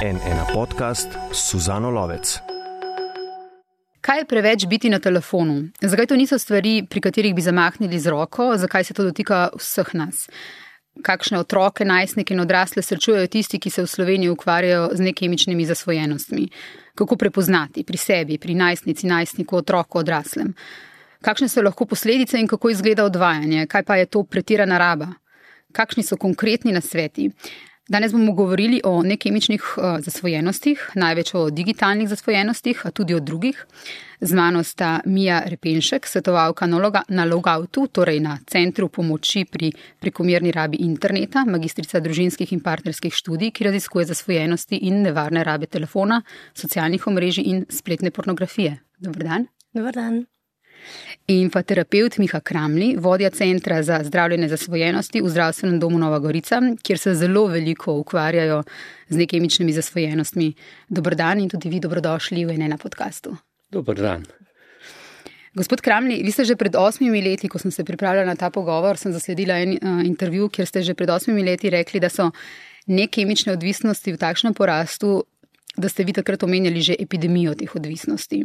N1 podcast s Suzano Lovec. Kaj je preveč biti na telefonu? Zakaj to niso stvari, pri katerih bi zamahnili z roko? Zakaj se to dotika vseh nas? Kakšne otroke, najstnike in odrasle srečujejo tisti, ki se v Sloveniji ukvarjajo z nekemičnimi zasvojenostmi? Kako prepoznati pri sebi, pri najstnici, najstniku, otroku, odraslem? Kakšne so lahko posledice in kako izgleda odvajanje? Kaj pa je to pretirana raba? Kakšni so konkretni nasveti? Danes bomo govorili o nekemičnih zasvojenostih, največ o digitalnih zasvojenostih, a tudi o drugih. Z mano sta Mija Repenšek, svetovalka na Logoutu, torej na Centru pomoči pri prekomerni rabi interneta, magistrica družinskih in partnerskih študij, ki raziskuje zasvojenosti in nevarne rabe telefona, socialnih omrežij in spletne pornografije. Dober dan. Dober dan. In pa terapevt Miha Kramli, vodja Centra za zdravljenje zasvojenosti v Zdravstvenem domu Nova Gorica, kjer se zelo veliko ukvarjajo z nekemičnimi zasvojenostmi. Dober dan in tudi vi dobrodošli v N1 podcastu. Dober dan. Gospod Kramli, vi ste že pred 8 leti, ko sem se pripravljala na ta pogovor, sem zasledila en intervju, kjer ste že pred 8 leti rekli, da so nekemične odvisnosti v takšnem porastu, da ste vi takrat omenjali že epidemijo teh odvisnosti.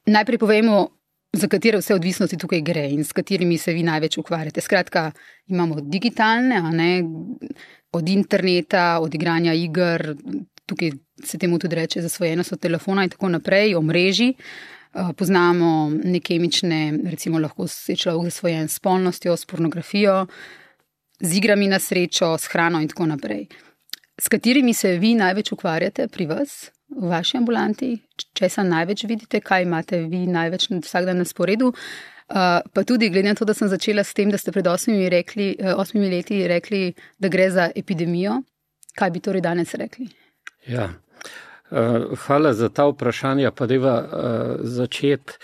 Najprej povejmo, za katere vse odvisnosti tukaj gre in s katerimi se vi največ ukvarjate. Skratka, imamo digitalne, od interneta, od igranja iger, tukaj se temu tudi reče zasvojenost od telefona in tako naprej, omrežij. Poznamo nekemične, recimo lahko se človek zasvojen s spolnostjo, s pornografijo, z igrami na srečo, s hrano in tako naprej. S katerimi se vi največ ukvarjate pri vas? V vaši ambulanti, česa največ vidite, kaj imate vi največ vsak dan na sporedu, pa tudi glede na to, da sem začela s tem, da ste pred 8 leti rekli, da gre za epidemijo, kaj bi torej danes rekli? Ja, hvala za ta vprašanja, pa deva začeti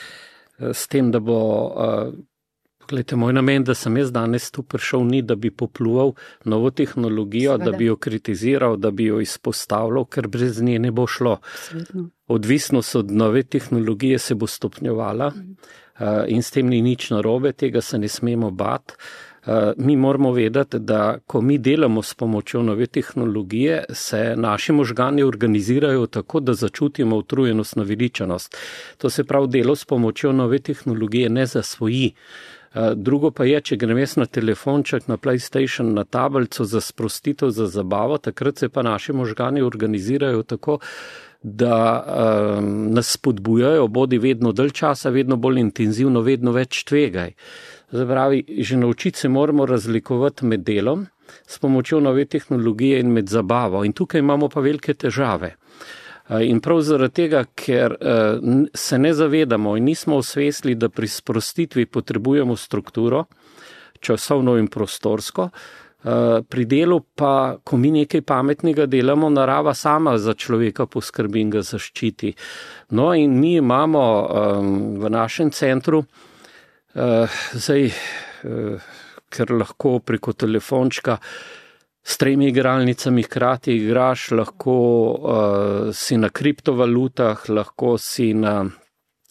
s tem, da bo... Glejte, moj namen, da sem jaz danes tu prišel, ni, da bi popluval novo tehnologijo, da bi jo kritiziral, da bi jo izpostavljal, ker brez nje ne bo šlo. Absolutno. Odvisnost od nove tehnologije se bo stopnjevala in s tem ni nič narobe, tega se ne smemo bati. Mi moramo vedeti, da ko mi delamo s pomočjo nove tehnologije, se naši možgani organizirajo tako, da začutimo utrujenost, naveličanost. To se pravi, delo s pomočjo nove tehnologije ne zasvoji. Drugo pa je, če grem jaz na telefonček, na PlayStation, na tablico za sprostitev, za zabavo, takrat se pa naši možgani organizirajo tako, da nas spodbujajo, bodi vedno dalj časa, vedno bolj intenzivno, vedno več tvegaj. Zapravi, že naučiti se moramo razlikovati med delom s pomočjo nove tehnologije in med zabavo. In tukaj imamo pa velike težave. In prav zaradi tega, ker se ne zavedamo in nismo osvestili, da pri sprostitvi potrebujemo strukturo, časovno in prostorsko, pri delu pa, ko mi nekaj pametnega delamo, narava sama za človeka poskrbi in ga zaščiti. No in mi imamo v našem centru, ker lahko preko telefončka s 3 igralnicami hkrati igraš, lahko si na kriptovalutah, lahko si na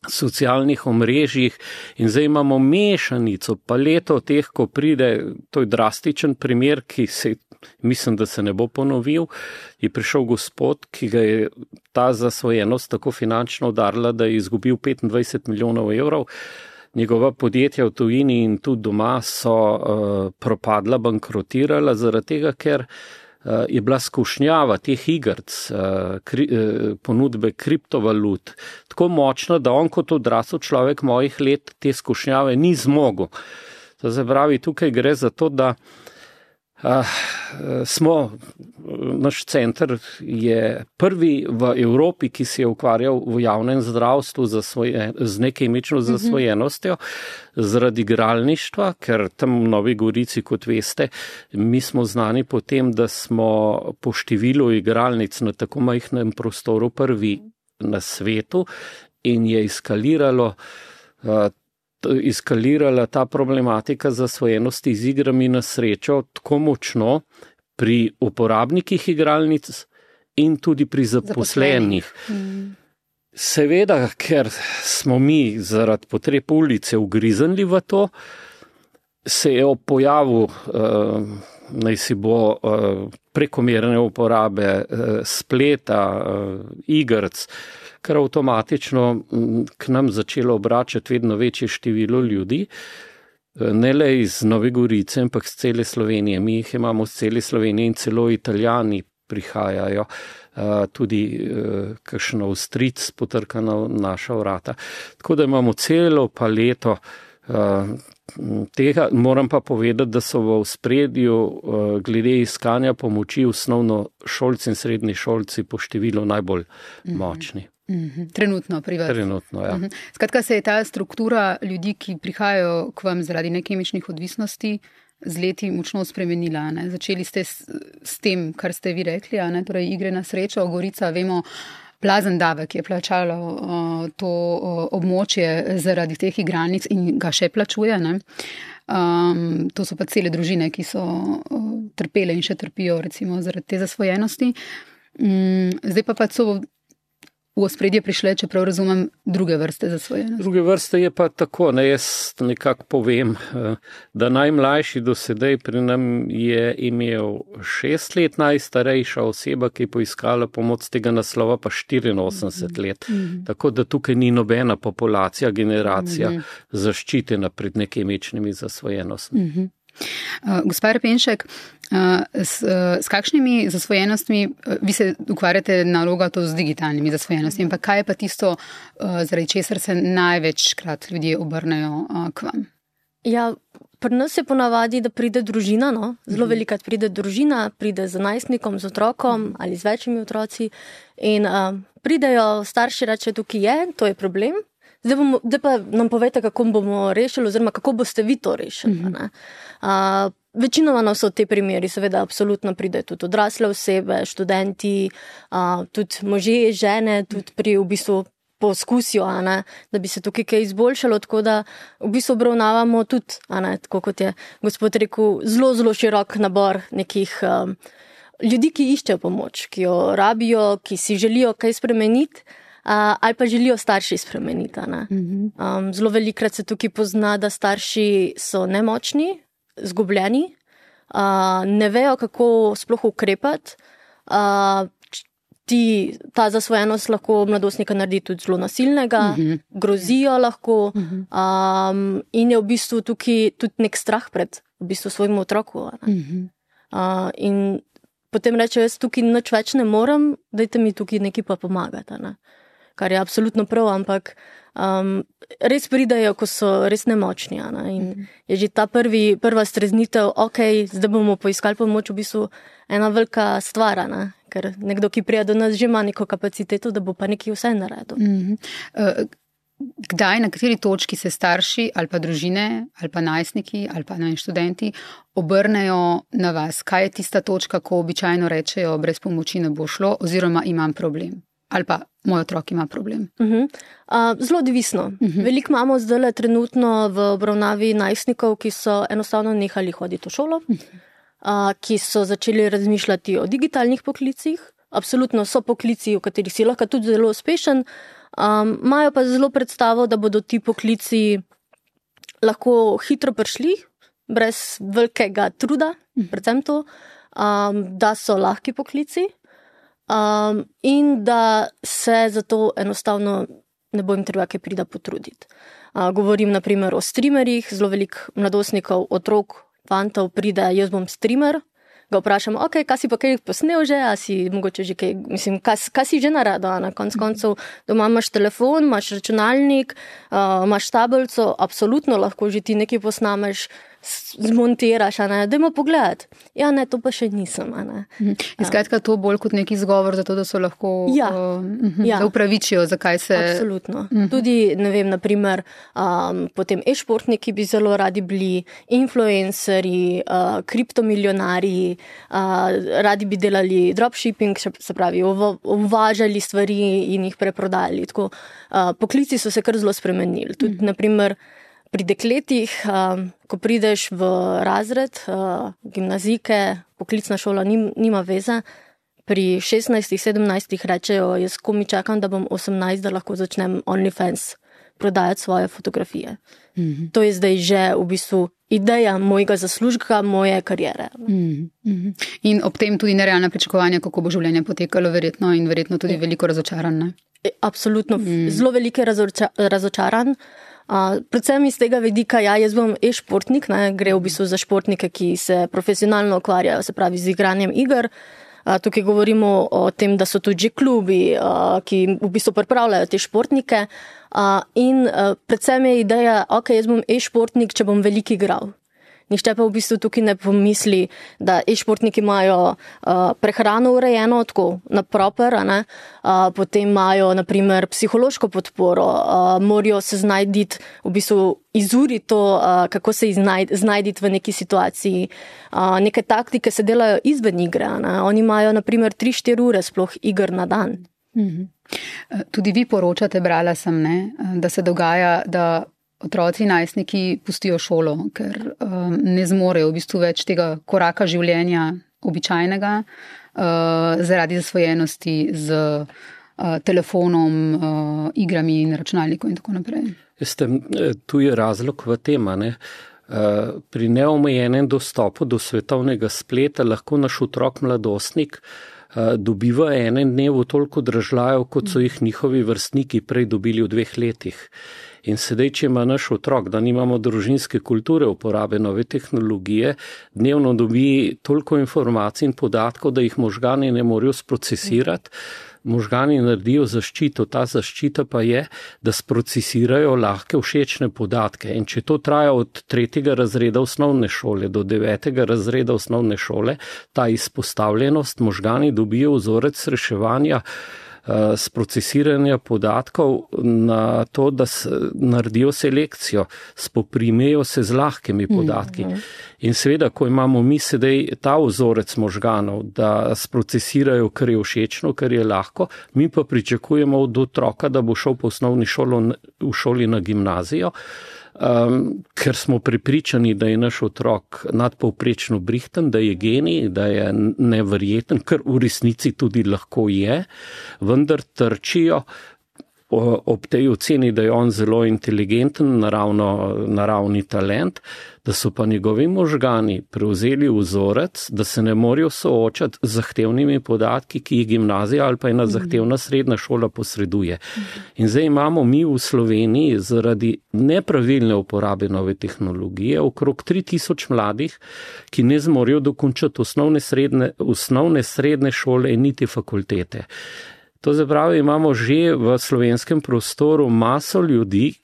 socialnih omrežjih in zdaj imamo mešanico, paleto teh, ko pride, to je drastičen primer, ki se, mislim, da se ne bo ponovil, je prišel gospod, ki ga je ta zasvojenost tako finančno udarila, da je izgubil 25 milijonov evrov. Njegova podjetja v tujini in tudi doma so propadla, bankrotirala, zaradi tega, ker je bila skušnjava teh igrc, ponudbe kriptovalut, tako močna, da on kot odrasel človek mojih let te skušnjave ni zmogel. To se pravi, tukaj gre za to, da naš center je prvi v Evropi, ki se je ukvarjal v javnem zdravstvu z nekemično zasvojenostjo zaradi igralništva, ker tam v Novi Gorici, kot veste, mi smo znani po tem, da smo po številu igralnic na tako majhnem prostoru prvi na svetu in je eskalirala ta problematika zasvojenosti z igrami na srečo tako močno pri uporabnikih igralnic in tudi pri zaposlenih. Seveda, ker smo mi zaradi potreb ulice ugriznili v to, se je ob pojavu naj si bo prekomerne uporabe spleta, igrc, kar avtomatično k nam začelo obračati vedno večje število ljudi, ne le iz Nove Gorice, ampak z cele Slovenije. Mi jih imamo z cele Slovenije in celo Italijani prihajajo, tudi kakšen Avstrijec potrka na naša vrata. Tako da imamo celo paleto tega. Moram pa povedati, da so v ospredju glede iskanja pomoči osnovnošolci in srednji šolci po številu najbolj močni. Trenutno pri vas. Trenutno, ja. Skratka, se je ta struktura ljudi, ki prihajajo k vam zaradi nekemičnih odvisnosti, z leti močno spremenila. Ne? Začeli ste s tem, kar ste vi rekli, ne? Torej igre na srečo, Gorica, vemo, Plazen davek je plačalo to območje zaradi teh igralnic in ga še plačuje. Ne? To so pa cele družine, ki so trpele in še trpijo recimo zaradi te zasvojenosti. Zdaj pa so v ospredje prišle, čeprav razumem, druge vrste zasvojenosti. Druge vrste je pa tako, ne, jaz nekako povem, da najmlajši do sedaj pri nam je imel 6 let, najstarejša oseba, ki je poiskala pomoč z tega naslova, pa 84 let. Tako da tukaj ni nobena populacija, generacija zaščitena pred nekemičnimi zasvojenostmi. Gospa Repenšek, s kakšnimi zasvojenostmi, vi se ukvarjate naloga to z digitalnimi zasvojenostmi, ampak kaj je pa tisto, zaradi česar se največkrat ljudje obrnejo k vam? Ja, pri nas je ponavadi, da pride družina, no? Zelo velikrat pride družina, pride z najstnikom, z otrokom ali z večjimi otroci in pridejo starši, reče, tukaj je, to je problem. Zdaj pa nam povejte, kako bomo rešili, oziroma kako boste vi to rešili. Večinoma so te primeri, seveda, absolutno pridejo tudi odrasle osebe, študenti, tudi možje, žene, tudi pri v bistvu poskusijo, da bi se tukaj kaj izboljšalo, tako da v bistvu obravnavamo tudi, tako kot je gospod rekel, zelo, zelo širok nabor nekih ljudi, ki iščejo pomoč, ki jo rabijo, ki si želijo kaj spremeniti, ali pa želijo starši spremeniti. Zelo velikrat se tukaj pozna, da starši so nemočni, zgubljeni, ne vejo, kako sploh ukrepati. Ta zasvojenost lahko mladostnika naredi tudi zelo nasilnega, grozijo lahko in je v bistvu tukaj tudi nek strah pred v bistvu svojim otroku. In potem reče, jaz tukaj nič več ne morem, dajte mi tukaj nekaj pa pomagati. Kar je absolutno prav, ampak res pridajo, ko so res nemočni. In je že ta prva streznitev, zdaj bomo poiskali pomoč, v bistvu ena velika stvar, ker nekdo, ki prija do nas, že ima neko kapaciteto, da bo pa nekaj vse naredil. Kdaj, na kateri točki se starši ali pa družine, ali pa najstniki, ali pa študenti obrnejo na vas? Kaj je tista točka, ko običajno rečejo, brez pomoči ne bo šlo, oziroma imam problem? Ali pa moj otrok ima problem? Zelo odvisno. Veliko imamo zdaj trenutno v obravnavi najstnikov, ki so enostavno nehali hoditi v šolo, ki so začeli razmišljati o digitalnih poklicih. Absolutno so poklici, v katerih si lahko tudi zelo uspešen, imajo pa zelo predstavo, da bodo ti poklici lahko hitro prišli, brez velikega truda, predvsem to, da so lahki poklici. In da se zato enostavno ne bo jim treba kaj prida potruditi. Govorim naprimer o streamerjih, zelo veliko mladostnikov, otrok, fantov pride, jaz bom streamer, ga vprašam, kaj si pa kaj posnel že, a si mogoče že kaj, mislim, kaj si že naredil, na konc koncev, doma imaš telefon, imaš računalnik, imaš tablico, absolutno lahko že ti nekaj posnameš, zmontiraš, dajmo pogledati. Ja, ne, to pa še nisem. In skratka, to bolj kot neki izgovor za to, da so lahko da upravičijo, zakaj se... Absolutno. Tudi, ne vem, naprimer, potem e-športniki bi zelo radi bili, influencerji, kriptomilionarji, radi bi delali dropshipping, se pravi, uvažali stvari in jih preprodali. Tako, poklici so se kar zelo spremenili. Tudi, naprimer, pri dekletih, ko prideš v razred, gimnazijke, poklicna šola nima veze, pri 16-17 rečejo, jaz komi čakam, da bom 18, da lahko začnem OnlyFans prodajati svoje fotografije. To je zdaj že v bistvu ideja mojega zaslužka, moje kariere. In ob tem tudi nerealna pričakovanja, kako bo življenje potekalo verjetno tudi veliko razočaran. Absolutno, zelo veliko razočaran. Predvsem iz tega vidika, jaz bom e-športnik, gre v bistvu za športnike, ki se profesionalno ukvarjajo, se pravi z igranjem iger. Tukaj govorimo o tem, da so tudi klubi, ki v bistvu pripravljajo te športnike. In predvsem je ideja, jaz bom e-športnik, če bom veliko igral. Nihče pa v bistvu tukaj ne pomisli, da e-športniki imajo prehrano urejeno tako na proper, potem imajo naprimer psihološko podporo, morajo se znajditi, v bistvu izuriti to, kako se znajditi v neki situaciji. Neke taktike se delajo izven igre, oni imajo naprimer 3-4 ure sploh iger na dan. Tudi vi poročate, brala sem, da se dogaja, da otroci, najstniki pustijo šolo, ker ne zmorejo v bistvu več tega koraka življenja običajnega zaradi zasvojenosti z telefonom, igrami in računalnikom in tako naprej. Tu je razlog v tem, pri neomejenem dostopu do svetovnega spleta lahko naš otrok mladostnik dobiva enem dnevu toliko dražljajev, kot so jih njihovi vrstniki prej dobili v 2 letih. In sedaj, če ima naš otrok, da nimamo družinske kulture uporabe nove tehnologije, dnevno dobi toliko informacij in podatkov, da jih možgani ne morejo sprocesirati. Možgani naredijo zaščito, ta zaščita pa je, da sprocesirajo lahke všečne podatke. In če to traja od 3. razreda osnovne šole do 9. razreda osnovne šole, ta izpostavljenost, možgani dobijo vzorec reševanja sprocesiranja podatkov na to, da naredijo selekcijo, spoprimejo se z lahkimi podatki. In seveda, ko imamo mi sedaj ta vzorec možganov, da sprocesirajo, kar je všečno, kar je lahko, mi pa pričakujemo od otroka, da bo šel po osnovni šoli na gimnazijo, ker smo prepričani, da je naš otrok nadpovprečno brihten, da je genij, da je neverjeten, kar v resnici tudi lahko je, vendar trčijo ob tej oceni, da je on zelo inteligenten, naravni talent, da so pa njegovi možgani prevzeli vzorec, da se ne morejo soočati z zahtevnimi podatki, ki jih gimnazija ali pa ena zahtevna srednja šola posreduje. In zdaj imamo mi v Sloveniji zaradi nepravilne uporabe nove tehnologije okrog 3000 mladih, ki ne zmorejo dokončati osnovne srednje šole in niti fakultete. To zapravi, imamo že v slovenskem prostoru maso ljudi,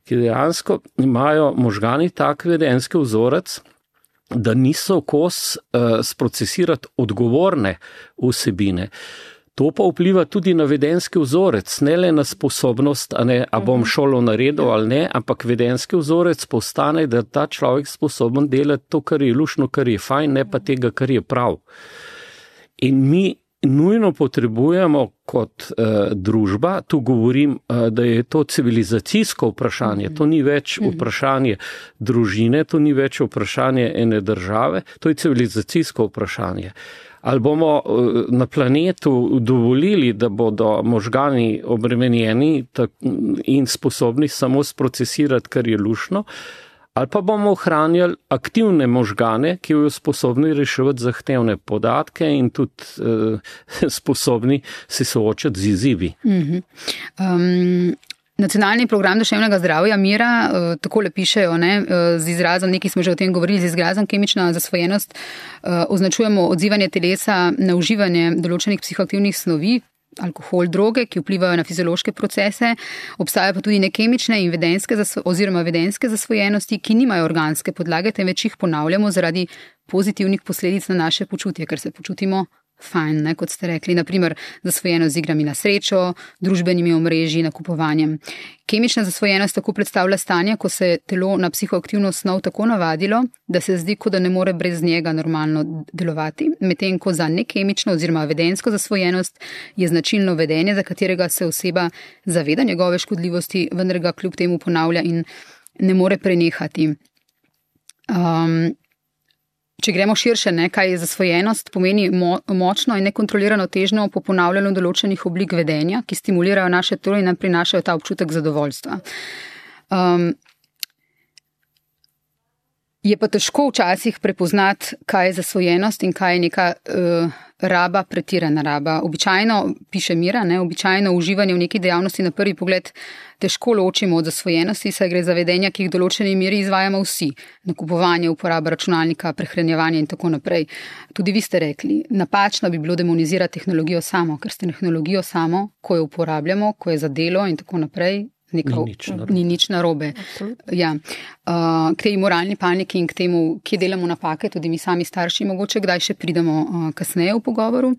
ki dejansko imajo možgani tak vedenjski vzorec, da niso kos sprocesirati odgovorne vsebine. To pa vpliva tudi na vedenjski vzorec, ne le na sposobnost, a bom šolo naredil ali ne, ampak vedenjski vzorec postane, da ta človek sposoben delati to, kar je luštno, kar je fajn, ne pa tega, kar je prav. In mi nujno potrebujemo kot družba, tu govorim, da je to civilizacijsko vprašanje, to ni več vprašanje družine, to ni več vprašanje ene države, to je civilizacijsko vprašanje. Ali bomo na planetu dovolili, da bodo možgani obremenjeni in sposobni samo sprocesirati, kar je luštno, ali pa bomo ohranjali aktivne možgane, ki bodo sposobni reševati zahtevne podatke in tudi sposobni se soočati z izzivi. Nacionalni program duševnega zdravja Mira, takole pišejo, z izrazom, nekaj smo že o tem govorili, z izrazom kemična zasvojenost, označujemo odzivanje telesa na uživanje določenih psihoaktivnih snovi, alkohol, droge, ki vplivajo na fiziološke procese, obstajajo pa tudi nekemične in vedenjske zasvojenosti, ki nimajo organske podlage, temveč jih ponavljamo zaradi pozitivnih posledic na naše počutje, ker se počutimo fajn, kot ste rekli, naprimer zasvojenost z igrami na srečo, družbenimi omrežji, nakupovanjem. Kemična zasvojenost tako predstavlja stanje, ko se telo na psihoaktivno snov tako navadilo, da se zdi, kot da ne more brez njega normalno delovati, medtem ko za nekemično oziroma vedenjsko zasvojenost je značilno vedenje, za katerega se oseba zaveda njegove škodljivosti, vendar ga kljub temu ponavlja in ne more prenehati. če gremo širše, kaj je zasvojenost, pomeni močno in nekontrolirano težnjo po ponavljanju določenih oblik vedenja, ki stimulirajo naše telo in nam prinašajo ta občutek zadovoljstva. Je pa težko včasih prepoznati, kaj je zasvojenost in kaj je neka raba, pretirana raba. Običajno, piše Mira, običajno uživanje v neki dejavnosti na prvi pogled težko ločimo od zasvojenosti, saj gre za vedenja, ki jih v določeni meri izvajamo vsi. Nakupovanje, uporaba računalnika, prehranjevanje in tako naprej. Tudi vi ste rekli, napačno bi bilo demonizirati tehnologijo samo, ker s tehnologijo samo, ko jo uporabljamo, ko je za delo in tako naprej, ni nič narobe. Ja. K tej moralni paniki in k temu, kje delamo napake, tudi mi sami starši mogoče, kdaj še pridemo kasneje v pogovoru.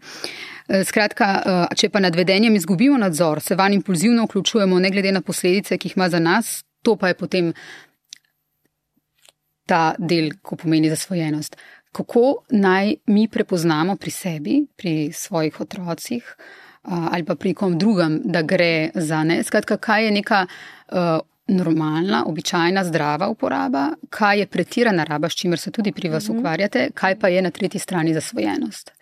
Skratka, če pa nad vedenjem izgubimo nadzor, se vanj impulzivno vključujemo ne glede na posledice, ki jih ima za nas, to pa je potem ta del, ko pomeni zasvojenost. Kako naj mi prepoznamo pri sebi, pri svojih otrocih, ali pa pri kom drugem, da gre za skratka, kaj je neka normalna, običajna, zdrava uporaba, kaj je pretirana raba, s čimer se tudi pri vas ukvarjate, kaj pa je na tretji strani zasvojenost?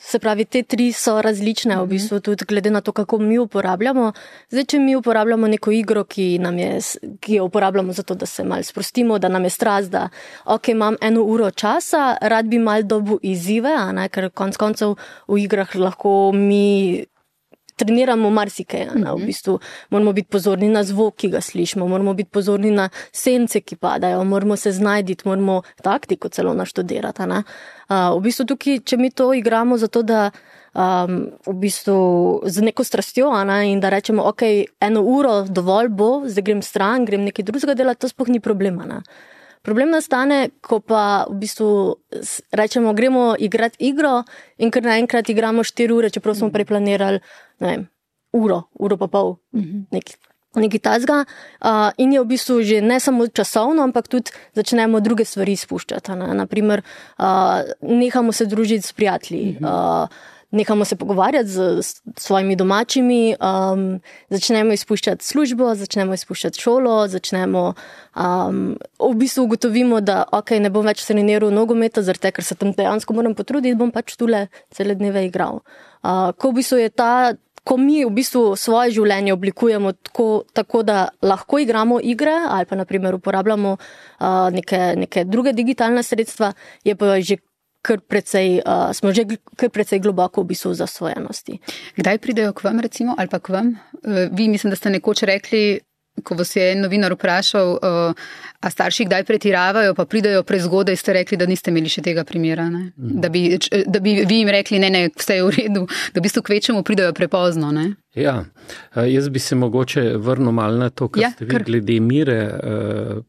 Se pravi, te tri so različne, v bistvu tudi glede na to, kako mi uporabljamo. Zdaj, če mi uporabljamo neko igro, ki jo uporabljamo zato, da se malo sprostimo, da nam je strast, da imam 1 uro časa, rad bi malo dobil izzive, ker konec koncev v igrah lahko mi treniramo marsikaj, v bistvu moramo biti pozorni na zvok, ki ga slišimo, moramo biti pozorni na sence, ki padajo, moramo se znajditi, moramo taktiko celo naštudirati. V bistvu tukaj, če mi to igramo zato, da v bistvu z neko strastjo in da rečemo, 1 uro dovolj bo, zdaj grem stran, grem nekaj drugega delati, to sploh ni problema. Problem nastane, ko pa v bistvu rečemo, gremo igrati igro in ker naenkrat igramo 4 ure, čeprav smo preplanirali, uro pa pol, nekaj tazga. In je v bistvu že ne samo časovno, ampak tudi začnemo druge stvari spuščati. Naprimer, nehamo se družiti s prijatelji, nehamo se pogovarjati z svojimi domačimi, začnemo izpuščati službo, začnemo izpuščati šolo, v bistvu ugotovimo, da ne bom več treniral nogometa, zaradi tega, ker se tam dejansko moram potruditi, bom pač tule cele dneve igral. Ko v bistvu je ko mi v bistvu svoje življenje oblikujemo tako, da lahko igramo igre ali pa naprimer uporabljamo neke druge digitalne sredstva, je pa že smo že kar precej globoko v bistvu zasvojenosti. Kdaj pridejo k vam recimo, ali pa k vam? Vi mislim, da ste nekoč rekli, ko vas je novinar vprašal, a starši kdaj pretiravajo, pa pridejo prezgodaj, ste rekli, da niste imeli še tega primera, ne? Da bi vi jim rekli, ne, vse je v redu, da v bistvu kvečemu pridejo prepozno, ne? Ja, jaz bi se mogoče vrnil malo na to, kar ste vi glede Mire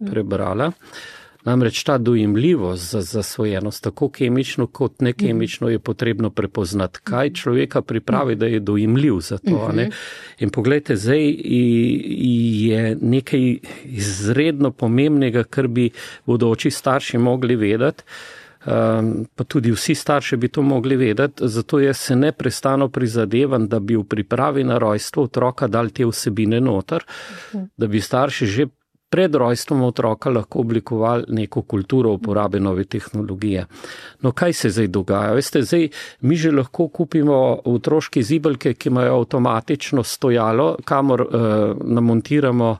prebrala. Namreč ta dojemljivost za zasvojenost, tako kemično kot nekemično, je potrebno prepoznati, kaj človeka pripravi, da je dojemljiv za to. In poglejte, zdaj je nekaj izredno pomembnega, kar bi bodoči starši mogli vedeti, pa tudi vsi starši bi to mogli vedeti, zato jaz se neprestano prizadevam, da bi v pripravi na rojstvo otroka dali te vsebine noter, da bi starši že pred rojstvom otroka lahko oblikovali neko kulturo uporabe nove tehnologije. No, kaj se zdaj dogaja? Veste, zdaj mi že lahko kupimo otroške zibelke, ki imajo avtomatično stojalo, kamor namontiramo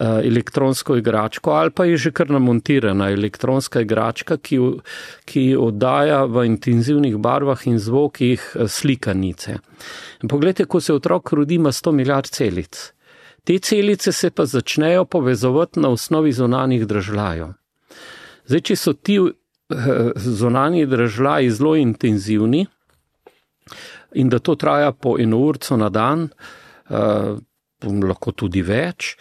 elektronsko igračko, ali pa je že kar namontirana elektronska igračka, ki oddaja v intenzivnih barvah in zvokih slikanice. In poglejte, ko se otrok rodi, ima 100 milijard celic. Te celice se pa začnejo povezovati na osnovi zunanjih dražljajev. Zdaj, če so ti zunanji dražljaji zelo intenzivni in da to traja po 1 urco na dan, lahko tudi več,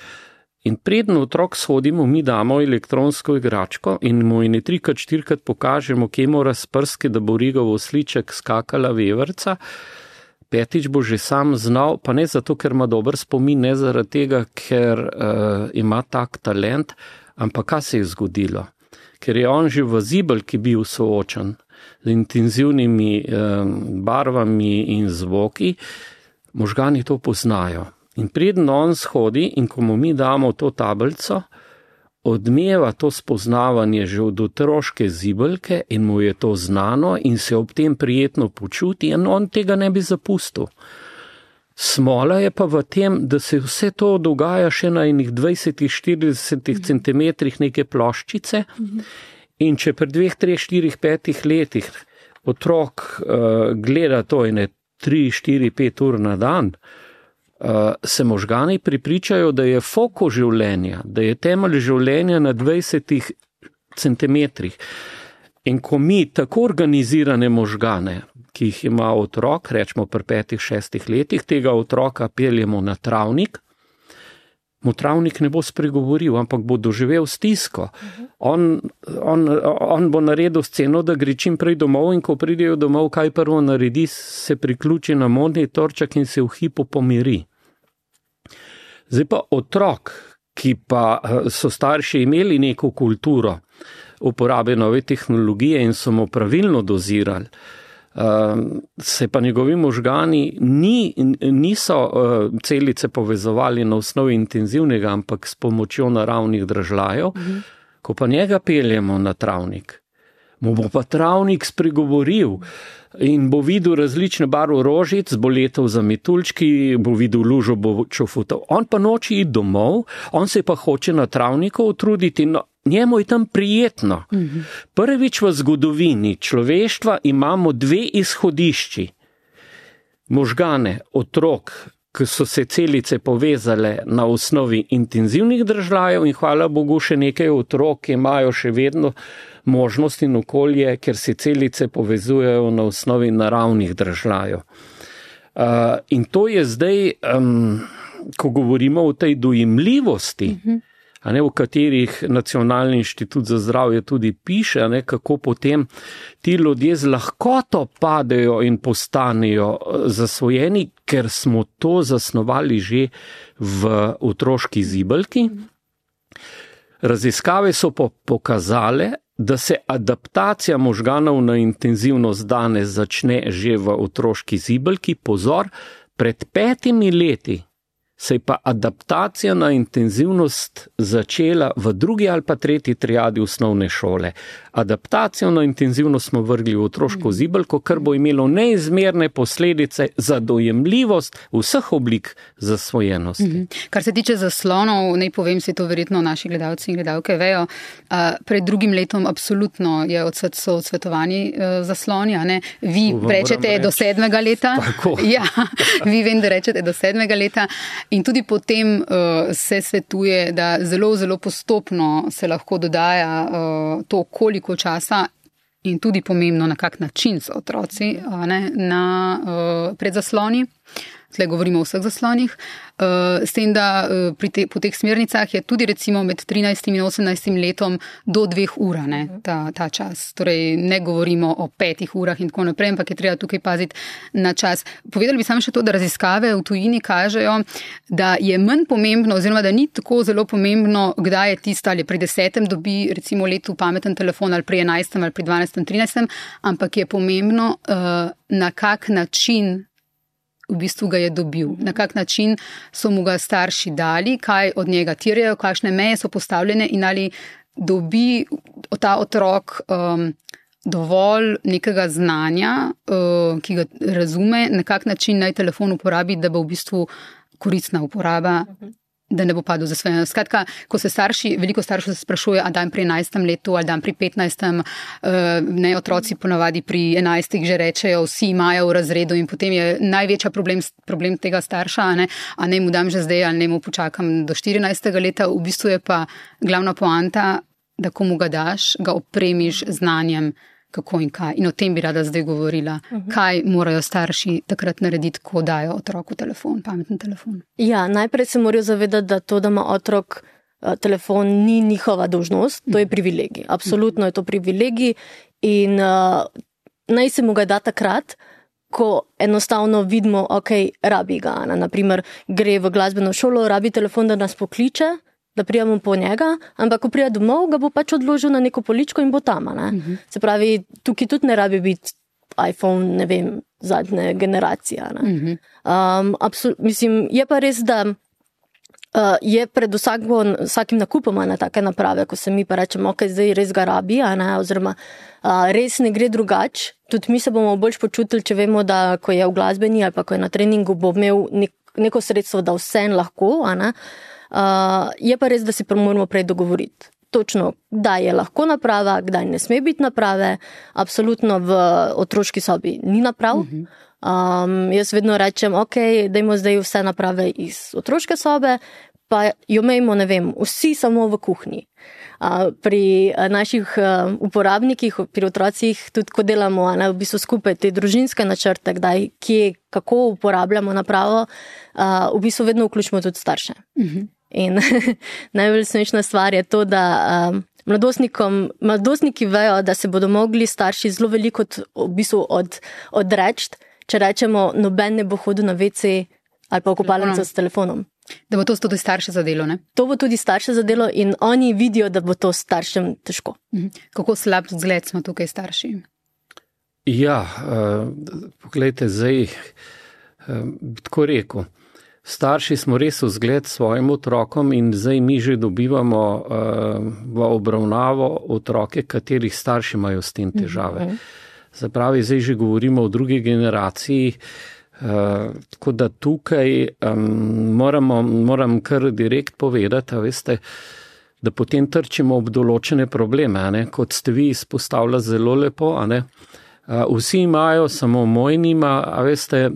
in preden otrok shodimo, mi damo elektronsko igračko in mu ene 3-4 pokažemo, kje mora s prski, da bo rigov osliček skakala veverca, 5. bo že sam znal, pa ne zato, ker ima dober spomin, ne zaradi tega, ker ima tak talent, ampak kaj se je zgodilo? Ker je on že v zibelki bil soočen z intenzivnimi barvami in zvoki, možgani to poznajo. In preden on shodi in ko mu mi damo to tablico, odmeva to spoznavanje že od otroške zibelke in mu je to znano in se ob tem prijetno počuti in on tega ne bi zapustil. Smola je pa v tem, da se vse to dogaja še na enih 20-40 centimetrih neke ploščice in če pri 2, 3, 4, 5 letih otrok gleda to ene 3, 4, 5 ur na dan, se možgani pripričajo, da je foko življenja, da je temelj življenja na 20 centimetrih. In ko mi tako organizirane možgane, ki jih ima otrok, rečemo pri 5, 6 letih, tega otroka peljemo na travnik, mu travnik ne bo spregovoril, ampak bo doživel stisko. On bo naredil sceno, da gre čim prej domov in ko pridejo domov, kaj prvo naredi, se priključi na monitorček in se v hipu pomiri. Zdaj pa otrok, ki pa so starši imeli neko kulturo uporabe nove tehnologije in so mu pravilno dozirali, se pa njegovi možgani niso celice povezovali na osnovi intenzivnega, ampak s pomočjo naravnih dražljajev. Ko pa njega peljemo na travnik, mu bo pa travnik spregovoril in bo videl različne barve rožic, bo letel za metuljčki, bo videl lužo, bo čofutal. On pa noči iti domov, on se pa hoče na travniku utruditi, no, njemu je tam prijetno. Prvič v zgodovini človeštva imamo 2 izhodišči. Možgane otrok, ki so se celice povezale na osnovi intenzivnih dražljajev in hvala Bogu še nekaj otrok, ki imajo še vedno možnost in okolje, ker se celice povezujejo na osnovi naravnih dražljajev. In to je zdaj, ko govorimo o tej dojemljivosti, o katerih Nacionalni inštitut za zdravje tudi piše, kako potem ti ljudje z lahkoto padejo in postanejo zasvojeni, ker smo to zasnovali že v otroški zibelki. Raziskave so pokazale, da se adaptacija možganov na intenzivnost danes začne že v otroški zibelki. Pozor, pred 5 leti se je pa adaptacija na intenzivnost začela v 2. ali pa 3. triadi osnovne šole. Adaptacijo na intenzivnost smo vrgli v otroško zibelko, kar bo imelo neizmerne posledice za dojemljivost vseh oblik zasvojenosti. Kar se tiče zaslonov, naj povem, si to verjetno naši gledalci in gledalke vejo, pred 2. letom absolutno so odsvetovani zasloni, a ne? Vi rečete do 7. leta. Tako. Ja, vi vem, da rečete do 7. leta. In tudi potem se svetuje, da zelo, zelo postopno se lahko dodaja to, koliko časa in tudi pomembno, na kak način so otroci pred zasloni. Tle govorimo o vseh zaslonih. S tem, da po teh smernicah je tudi recimo med 13. in 18. letom do 2 ur ta čas. Torej ne govorimo o 5 urah in tako naprej, ampak je treba tukaj paziti na čas. Povedali bi samo še to, da raziskave v tujini kažejo, da je manj pomembno oziroma da ni tako zelo pomembno, kdaj je tista ali pri 10. dobi recimo letu pameten telefon ali pri 11. ali pri 12. 13. ampak je pomembno na kak način v bistvu ga je dobil, na kak način so mu ga starši dali, kaj od njega terjajo, kakšne meje so postavljene in ali dobi ta otrok dovolj nekega znanja, ki ga razume, na kak način naj telefon uporabi, da bo v bistvu koristna uporaba, da ne bo padel za svoje. Skratka, ko se veliko staršev se sprašuje, a dan pri 11. letu ali dan pri 15. Ne, otroci ponavadi pri 11. že rečejo, vsi imajo v razredu in potem je največja problem tega starša, a ne mu dam že zdaj ali ne mu počakam do 14. leta. V bistvu je pa glavna poanta, da ko mu ga daš, ga opremiš znanjem, kako in kaj. In o tem bi rada zdaj govorila. Kaj morajo starši takrat narediti, ko dajo otroku telefon, pameten telefon? Ja, najprej se morajo zavedati, da to, da ima otrok telefon, ni njihova dolžnost, to je privilegij. Absolutno je to privilegij in naj se mu ga da takrat, ko enostavno vidimo, rabi ga. Naprimer, gre v glasbeno šolo, rabi telefon, da nas pokliče, da prijemo po njega, ampak ko prija domov, ga bo pač odložil na neko poličko in bo tam. Se pravi, tukaj tudi ne rabi biti iPhone, ne vem, zadnje generacije. Mislim, je pa res, da je pred vsakim nakupom na take naprave, ko se mi pa rečemo, ok, zdaj res ga rabi, oziroma res ne gre drugače. Tudi mi se bomo bolj počutili, če vemo, da ko je v glasbeni ali pa ko je na treningu, bo imel neko sredstvo, da vse lahko. Je pa res, da si moramo prej dogovoriti. Točno, kdaj je lahko naprava, kdaj ne sme biti naprave. Absolutno v otroški sobi ni naprav. Jaz vedno rečem, ok, dajmo zdaj vse naprave iz otroške sobe, pa jo imejmo, ne vem, vsi samo v kuhinji. Pri naših uporabnikih, pri otrocih, tudi ko delamo v bistvu skupaj te družinske načrte, kdaj, kje, kako uporabljamo napravo, v bistvu vedno vključimo tudi starše. In najbolj smešna stvar je to, da mladostniki vejo, da se bodo mogli starši zelo veliko v bistvu odreči, če rečemo, noben ne bo hodil na WC ali pa v kopalnico s telefonom. Da bo to tudi starše zadelo, ne? To bo tudi starše zadelo in oni vidijo, da bo to staršem težko. Kako slab zgled smo tukaj starši? Ja, poglejte, zdaj bi tako rekel. Starši smo res vzgled svojim otrokom in zdaj mi že dobivamo v obravnavo otroke, katerih starši imajo s tem težave. Zapravi, zdaj že govorimo o drugi generaciji, tako da tukaj moram kar direkt povedati, veste, da potem trčimo ob določene probleme, kot ste vi izpostavljali zelo lepo, vsi imajo, samo moj nima, a veste,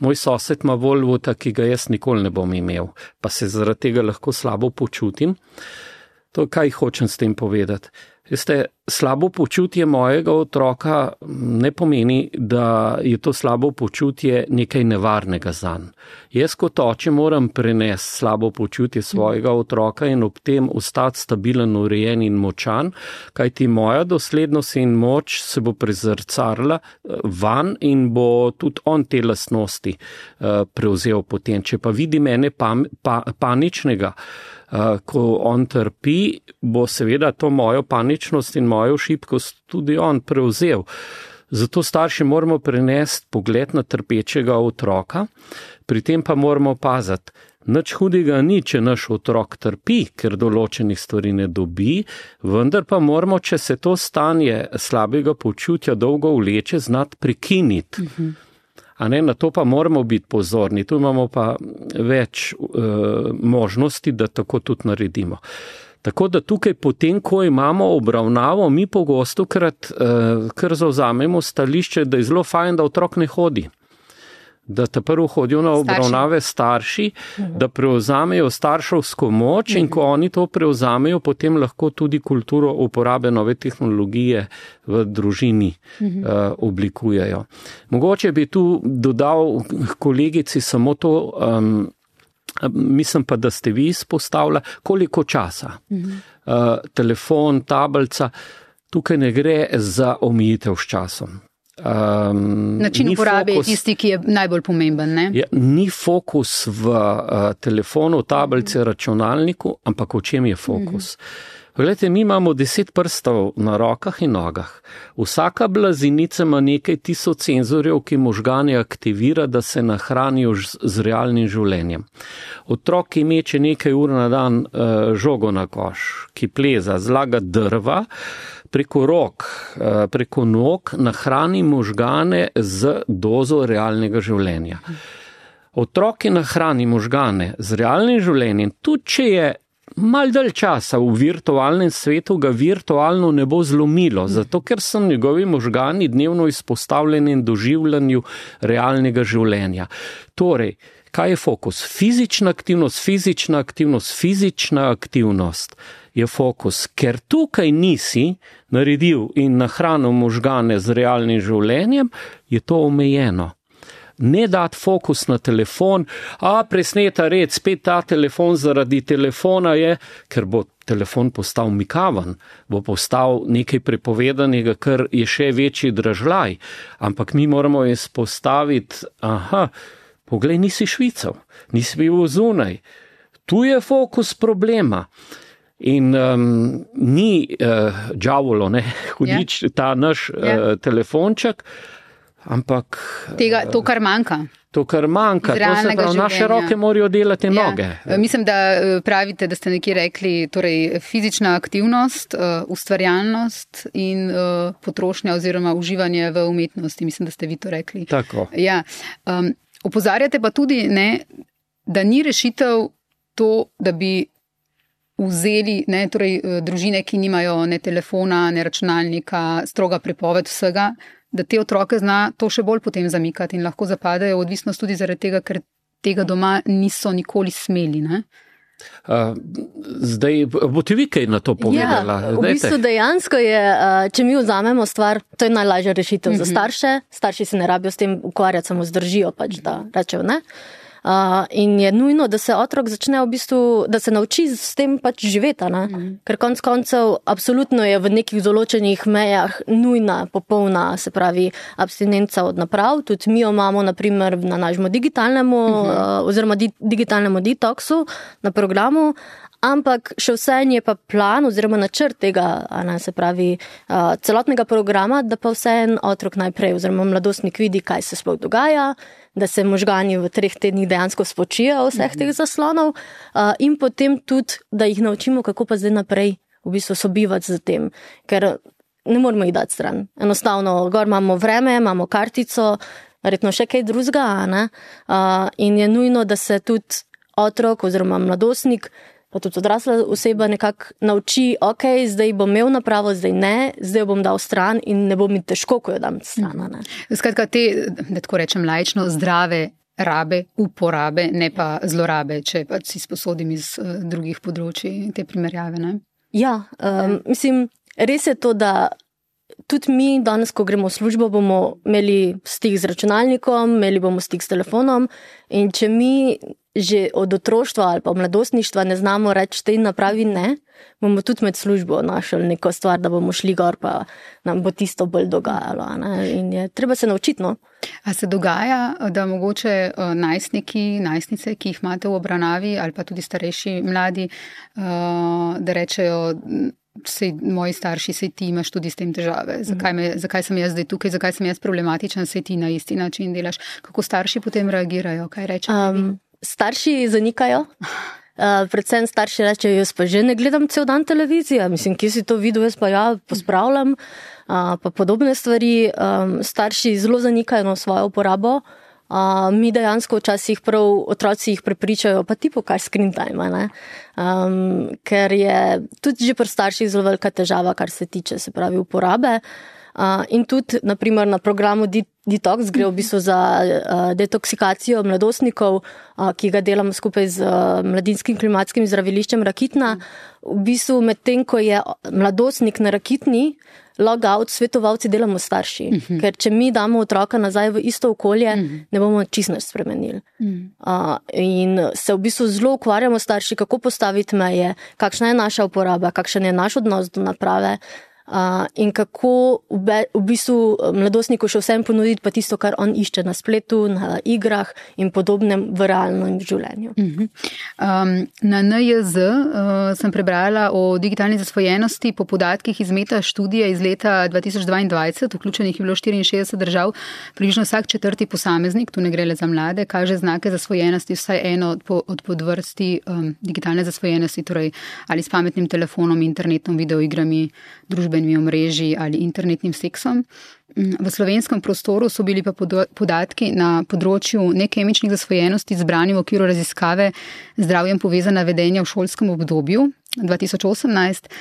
moj sosed ima Volvota, ki ga jaz nikoli ne bom imel, pa se zaradi tega lahko slabo počutim. To, kaj hočem s tem povedati. Veste, slabo počutje mojega otroka ne pomeni, da je to slabo počutje nekaj nevarnega zanj. Jaz kot oče moram prenesti slabo počutje svojega otroka in ob tem ostati stabilen, urejen in močan, kajti moja doslednost in moč se bo prezrcarila van in bo tudi on te lastnosti prevzel potem. Če pa vidi mene paničnega, ko on trpi, bo seveda to mojo paničnost in mojo šibkost tudi on prevzel. Zato starši moramo prenesti pogled na trpečega otroka, pri tem pa moramo paziti. Nič hudega ni, če naš otrok trpi, ker določenih stvari ne dobi, vendar pa moramo, če se to stanje slabega počutja dolgo vleče, znati prekiniti. Na to pa moramo biti pozorni, tu imamo pa več možnosti, da tako tudi naredimo. Tako da tukaj potem, ko imamo obravnavo, mi pogosto kar zavzamemo stališče, da je zelo fajn, da otrok ne hodi. Da ta prvo hodijo na obravnave starši, da prevzamejo starševsko moč in ko oni to prevzamejo, potem lahko tudi kulturo uporabe nove tehnologije v družini oblikujejo. Mogoče bi tu dodal kolegici samo to, mislim pa, da ste vi izpostavili, koliko časa. Telefon, tablica, tukaj ne gre za omejitev s časom. Način uporabe je tisti, ki je najbolj pomemben, ne? Ni fokus v telefonu, tablici, računalniku, ampak v čem je fokus? Glejte, mi imamo 10 prstov na rokah in nogah. Vsaka blazinica ima nekaj tisoč senzorjev, ki možgane aktivira, da se nahranijo z realnim življenjem. Otrok, ki meče nekaj ur na dan žogo na koš, ki pleza, zlaga drva, preko rok, preko nog nahrani možgane z dozo realnega življenja. Otrok, ki nahrani možgane z realnim življenjem, tudi če je malo dalj časa v virtualnem svetu, ga virtualno ne bo zlomilo, zato ker so njegovi možgani dnevno izpostavljeni in doživljanju realnega življenja. Torej, kaj je fokus? Fizična aktivnost je fokus, ker tukaj nisi naredil in nahranil možgane z realnim življenjem, je to omejeno. Ne dati fokus na telefon, presneta red, spet ta telefon zaradi telefona je, ker bo telefon postal mikaven, bo postal nekaj prepovedanega, kar je še večji dražljaj, ampak mi moramo izpostaviti, poglej, nisi švical, nisi bil zunaj, tu je fokus problema. In ni džavolo, hudič ta naš telefonček, ampak to, kar manjka. to, kar manjka. To se pravi, naše roke morajo delati noge. Mislim, da pravite, da ste nekje rekli, torej fizična aktivnost, ustvarjalnost in potrošnja oziroma uživanje v umetnosti. Mislim, da ste vi to rekli. Tako. Ja. Opozarjate pa tudi, ne, da ni rešitev to, da bi vzeli torej, družine, ki nimajo ne telefona, ne računalnika, stroga prepoved vsega, da te otroke zna to še bolj potem zamikati in lahko zapadejo v odvisnost tudi zaradi tega, ker tega doma niso nikoli smeli. Ne? Zdaj, boste vi kaj na to povedala? Ja, v bistvu dejansko je, če mi vzamemo stvar, to je najlažja rešitev za starše. Starši se ne rabijo s tem ukvarjati, samo zdržijo pač, da rečejo ne. In je nujno, da se otrok začne v bistvu, da se nauči s tem pač živeti, ker konec koncev absolutno je v nekih določenih mejah nujna, popolna, se pravi, abstinenca od naprav. Tudi mi jo imamo, naprimer, na našem digitalnemu oziroma digitalnemu detoksu na programu, ampak še vseeno je pa plan oziroma načrt tega, se pravi, celotnega programa, da pa vseeno otrok najprej oziroma mladostnik vidi, kaj se sploh dogaja, da se možgani v 3 tednih dejansko spočijo vseh teh zaslonov in potem tudi, da jih naučimo, kako pa zdaj naprej v bistvu sobivati z tem, ker ne moramo jih dati stran. Enostavno, gor imamo vreme, imamo kartico, verjetno še kaj drugega, in je nujno, da se tudi otrok oziroma mladostnik pa tudi odrasla oseba nekako nauči, ok, zdaj bom imel napravo, zdaj ne, zdaj jo bom dal stran in ne bo mi težko, ko jo dam stran. Skratka, te, da tako rečem laično, zdrave rabe, uporabe, ne pa zlorabe, če pa si sposodim iz drugih področij te primerjave. Ne? Ja, mislim, res je to, da tudi mi danes, ko gremo v službo, bomo imeli stik z računalnikom, imeli bomo stik s telefonom in če mi že od otroštva ali pa mladostništva ne znamo reči tej napravi ne, bomo tudi med službo našli neko stvar, da bomo šli gor, pa nam bo tisto bolj dogajalo. In je treba se naučiti. No? A se dogaja, da mogoče najstniki, najstnice, ki jih imate v obravnavi ali pa tudi starejši mladi, da rečejo, sej moji starši, sej ti imaš tudi s tem težave, zakaj sem jaz zdaj tukaj, zakaj sem jaz problematičen, sej ti na isti način delaš. Kako starši potem reagirajo, kaj rečejo? Starši zanikajo, predvsem starši rečejo, jaz pa že ne gledam cel dan televizije, mislim, kje si to videl, jaz pa ja, pospravljam, pa podobne stvari. Starši zelo zanikajo na svojo uporabo, mi dejansko včasih prav otroci jih prepričajo, pa ti pokaj screen time, ne? Ker je tudi že pri starših zelo velika težava, kar se tiče, se pravi, uporabe. In tudi, naprimer, na programu Detox gre v bistvu za detoksikacijo mladostnikov, ki ga delamo skupaj z Mladinskim klimatskim zdraviliščem Rakitna. V bistvu medtem, ko je mladostnik na Rakitni, logout svetovalci delamo starši. Ker če mi damo otroka nazaj v isto okolje, ne bomo čisto nič spremenili. In se v bistvu zelo ukvarjamo starši, kako postaviti meje, kakšna je naša uporaba, kakšen je naš odnos do naprave, in kako v bistvu mladostniku še vsem ponuditi pa tisto, kar on išče na spletu, na igrah in podobnem v realnem življenju. Na NIJZ sem prebrala o digitalni zasvojenosti po podatkih iz meta študije iz leta 2022, vključenih je bilo 64 držav, približno vsak 4. posameznik, tu ne gre le za mlade, kaže znake zasvojenosti, vsaj eno od podvrsti digitalne zasvojenosti, torej ali s pametnim telefonom, internetom, videoigrami, družbenimi omrežji ali internetnim seksom. V slovenskem prostoru so bili pa podatki na področju nekemičnih zasvojenosti zbrani v okviru raziskave zdravjem povezana vedenja v šolskem obdobju 2018.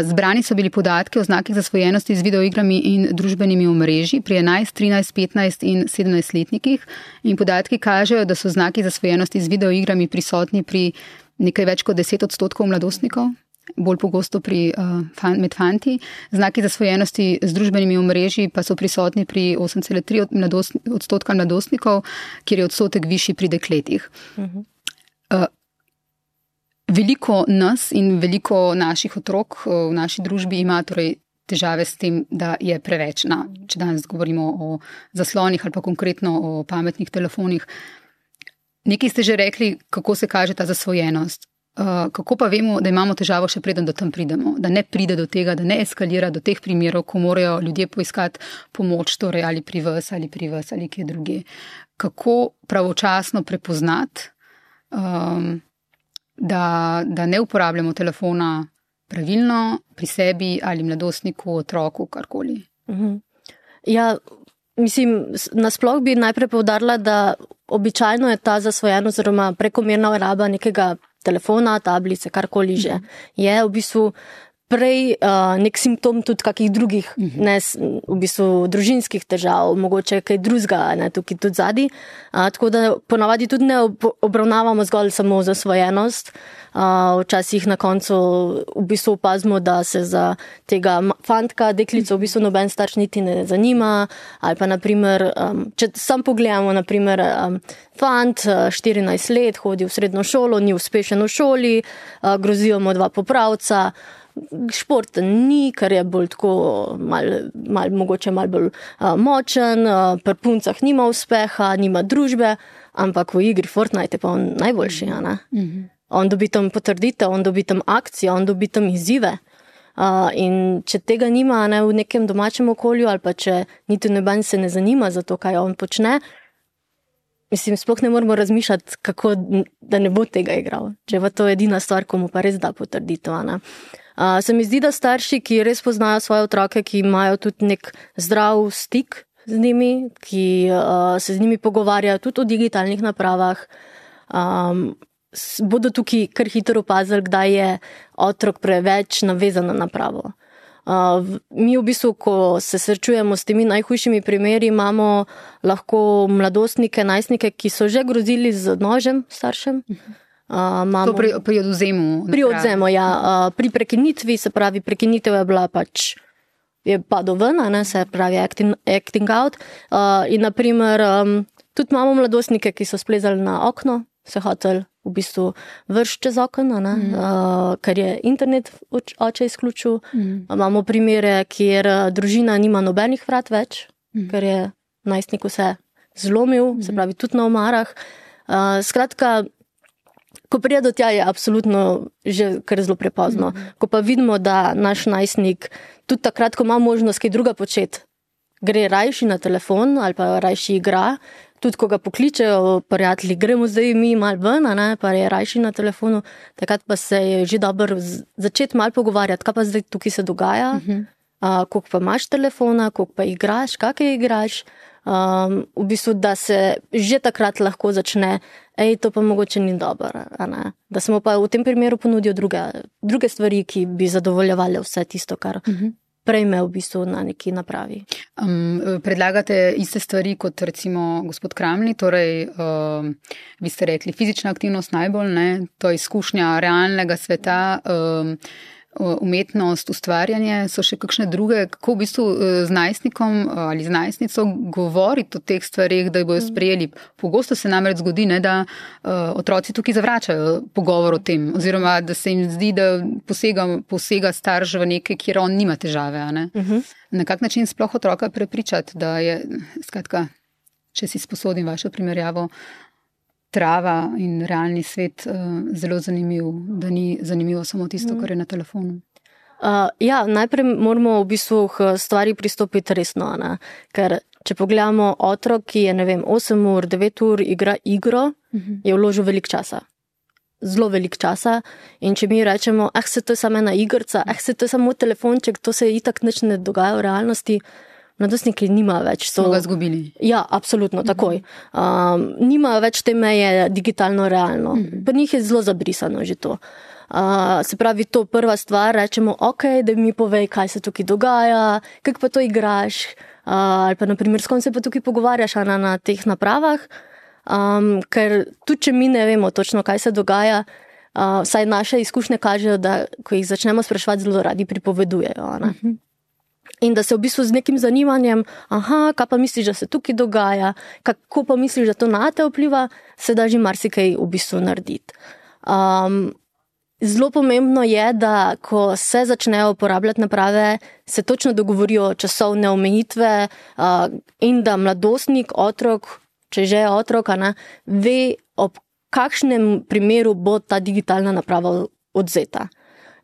Zbrani so bili podatki o znakih zasvojenosti z videoigrami in družbenimi omrežji pri 11, 13, 15 in 17-letnikih in podatki kažejo, da so znaki zasvojenosti z videoigrami prisotni pri nekaj več kot 10% mladostnikov, bolj pogosto med fanti. Znaki zasvojenosti z družbenimi omrežji pa so prisotni pri 8,3% mladostnikov, kjer je odstotek višji pri dekletih. Veliko nas in veliko naših otrok v naši družbi ima torej težave s tem, da je preveč. Če danes govorimo o zaslonih ali pa konkretno o pametnih telefonih. Nekaj ste že rekli, kako se kaže ta zasvojenost. Kako pa vemo, da imamo težavo še preden do tam pridemo, da ne pride do tega, da ne eskalira do teh primerov, ko morajo ljudje poiskati pomoč, torej ali pri vas ali kje druge. Kako pravočasno prepoznati, da ne uporabljamo telefona pravilno pri sebi ali mladostniku, otroku, karkoli? Ja, mislim, nasploh bi najprej poudarila, da običajno je ta zasvojenost oziroma prekomerna raba nekega telefona, tablice, karkoli že. Je v bistvu prej nek simptom tudi kakih drugih, ne, v bistvu družinskih težav, mogoče kaj drugega, ne, tukaj tudi zadnji. Tako da ponavadi tudi ne obravnavamo zgolj samo zasvojenost. Včasih na koncu v bistvu opazimo, da se za tega fantka, deklico v bistvu noben starš niti ne zanima, ali pa naprimer, če sam pogledamo, naprimer, fant, 14 let, hodi v srednjo šolo, ni uspešen v šoli, grozijo mu 2 popravca, športen ni, ker je bolj tako mogoče malo bolj močen, pri puncah nima uspeha, nima družbe, ampak v igri Fortnite je pa on najboljši, ne? On dobi tam potrditev, on dobi tam akcijo, on dobi tam izzive. In če tega nima, ne, v nekem domačem okolju, ali pa če niti noben se ne zanima za to, kaj on počne, mislim, sploh ne moramo razmišljati, kako, da ne bo tega igral. Če je to edina stvar, ko mu pa res da potrditev, ne. Se mi zdi, da starši, ki res poznajo svoje otroke, ki imajo tudi nek zdrav stik z njimi, ki se z njimi pogovarjajo tudi o digitalnih napravah, bodo tukaj kar hitro opazili, kdaj je otrok preveč navezan na napravo. Mi v bistvu, ko se srečujemo s temi najhujšimi primeri, imamo lahko mladostnike, najstnike, ki so že grozili z nožem staršem. To pri odvzemu. Pri odvzemu, ja. Pri prekinitvi, se pravi, prekinitev je bila pač, je padel ven, ne, se pravi acting out. In naprimer, tudi imamo mladostnike, ki so splezali na okno, se hotel v bistvu vršiti čez okno, ker je internet oče izključil. Imamo primere, kjer družina nima nobenih vrat več, ker je najstnik vse zlomil, se pravi tudi na omarah. Skratka, ko pride do tja, je absolutno že kar zelo prepozno. Ko pa vidimo, da naš najstnik tudi takrat, ko ima možnost kaj druga početi, gre rajši na telefon ali pa rajši igra, tudi ko ga pokličejo prijatelji, gremo zdaj mi malo ven, ne, pa je rajši na telefonu, takrat pa se je že dobro začeti malo pogovarjati, kaj pa zdaj tukaj se dogaja, koliko pa imaš telefona, koliko pa igraš, kakaj igraš, v bistvu, da se že takrat lahko začne, to pa mogoče ni dobro, ne? Da smo pa v tem primeru ponudil druge stvari, ki bi zadovoljevali vse tisto, kar prejme v bistvu na neki napravi. Predlagate iste stvari kot recimo gospod Kramli, torej vi ste rekli fizična aktivnost najbolj, ne? To je izkušnja realnega sveta, umetnost, ustvarjanje, so še kakšne druge, kako v bistvu z najstnikom ali z najstnico govoriti o teh stvarih, da jih bojo sprejeli. Pogosto se namreč zgodi, ne, da otroci tukaj zavračajo pogovor o tem, oziroma da se jim zdi, da posega starš v nekaj, kjer on nima težave. Ne? Na kak način sploh otroka prepričati, da je, skratka, če si sposodim vašo primerjavo, trava in realni svet zelo zanimiv, da ni zanimivo samo tisto, kar je na telefonu. Ja, najprej moramo v bistvu k stvari pristopiti resno, ne? Ker če pogledamo otrok, ki je, 8 ur, 9 ur igra igro, je vložil veliko časa. Zelo veliko časa. In če mi rečemo, se to je samo ena igrca, se to je samo telefonček, to se itak nič ne dogaja v realnosti, mladostniki nima več. Smo ga zgubili. Ja, absolutno, takoj. Nima več te meje digitalno-realno. Pri njih je zelo zabrisano že to. Se pravi, to prva stvar, rečemo, da mi povej, kaj se tukaj dogaja, kako pa to igraš, ali pa naprimer, s kom se pa tukaj pogovarjaš na teh napravah, ker tudi če mi ne vemo točno, kaj se dogaja, vsaj naše izkušnje kažejo, da ko jih začnemo spraševati, zelo radi pripovedujejo, ne? In da se v bistvu z nekim zanimanjem, kaj pa misliš, da se tukaj dogaja, kako pa misliš, da to na te vpliva, se da že marsikaj v bistvu narediti. Zelo pomembno je, da ko se začnejo uporabljati naprave, se točno dogovorijo časovne omejitve in da mladostnik, otrok, če že je otrok, ve, ob kakšnem primeru bo ta digitalna naprava odzeta.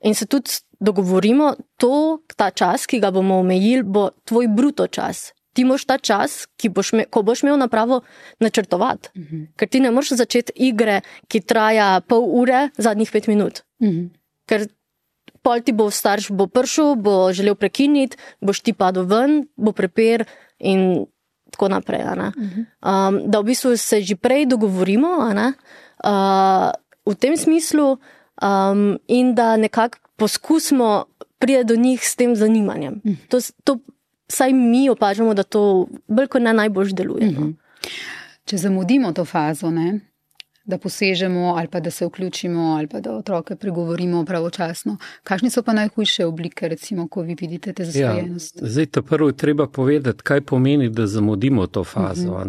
In se tudi dogovorimo, ta čas, ki ga bomo omejili, bo tvoj bruto čas. Ti moraš ta čas, ko boš imel napravo, načrtovati. Ker ti ne moreš začeti igre, ki traja pol ure, zadnjih 5 minut. Ker pol ti bo starš prišel, bo želel prekiniti, boš ti padel ven, bo prepir in tako naprej. Da v bistvu se že prej dogovorimo v tem smislu in da nekako poskusimo priti do njih s tem zanimanjem. To vsaj mi opažamo, da to bolj kot ne najbolj deluje. Če zamudimo to fazo, ne? Da posežemo ali pa da se vključimo ali pa da otroke pregovorimo pravočasno. Kakšne so pa najhujše oblike, recimo, ko vi vidite te zasvojenost? Zdaj, prvo je treba povedati, kaj pomeni, da zamudimo to fazo.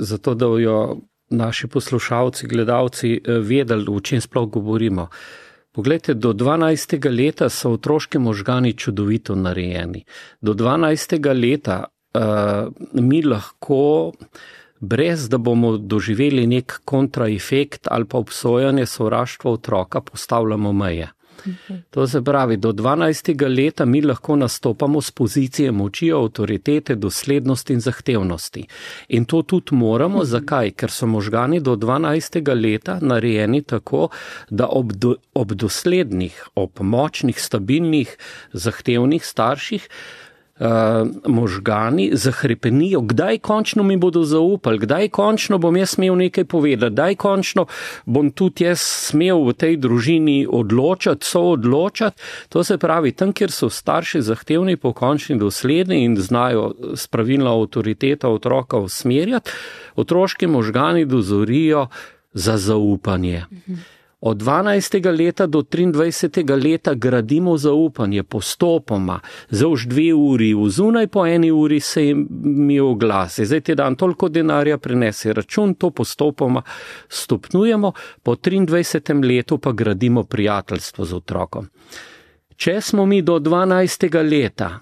Zato, da jo naši poslušalci, gledalci vedeli, o čem sploh govorimo. Poglejte, do 12. leta so otroški možgani čudovito narejeni. Do 12. leta mi lahko, brez da bomo doživeli nek kontraefekt ali pa obsojanje sovraštva otroka, postavljamo meje. To se pravi, do 12. leta mi lahko nastopamo z pozicije moči, avtoritete, doslednosti in zahtevnosti. In to tudi moramo. Zakaj? Ker so možgani do 12. leta narejeni tako, da ob doslednih, ob močnih, stabilnih, zahtevnih starših možgani zahrepenijo, kdaj končno mi bodo zaupali, kdaj končno bom jaz smel nekaj povedati, kdaj končno bom tudi jaz smel v tej družini odločati, soodločati. To se pravi, tam, kjer so starši zahtevni, pokončni, dosledni in znajo s pravilno avtoriteto otroka usmerjati, otroški možgani dozorijo za zaupanje. Od 12. leta do 23. leta gradimo zaupanje postopoma, za už 2 uri, vzunaj po 1 uri se mi oglasi. Zdaj ti dan toliko denarja prinese račun, to postopoma stopnjujemo, po 23. letu pa gradimo prijateljstvo z otrokom. Če smo mi do 12. leta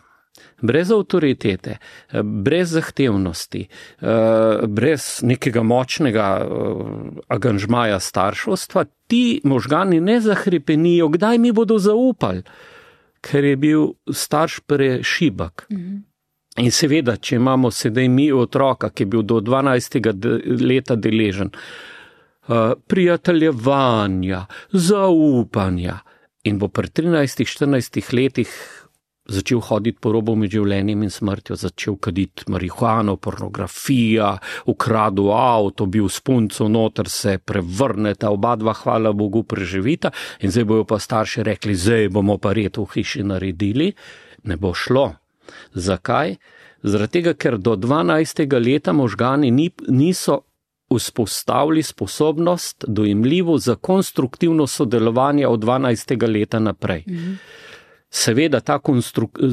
brez avtoritete, brez zahtevnosti, brez nekega močnega angažmaja starševstva, ti možgani ne zahrepenijo, kdaj mi bodo zaupali, ker je bil starš prešibak. In seveda, če imamo sedaj mi otroka, ki je bil do 12. leta deležen prijateljevanja, zaupanja in bo pri 13-14 letih začel hoditi po robu med življenjem in smrtjo, začel kaditi marihuano, pornografija, ukradel avto, bil s punco, noter se prevrneta, oba dva, hvala Bogu, preživita in zdaj bojo pa starši rekli, zdaj bomo pa red v hiši naredili. Ne bo šlo. Zakaj? Zaradi tega, ker do 12. leta možgani niso vzpostavili sposobnost dojemljivo za konstruktivno sodelovanje od 12. leta naprej. Seveda, ta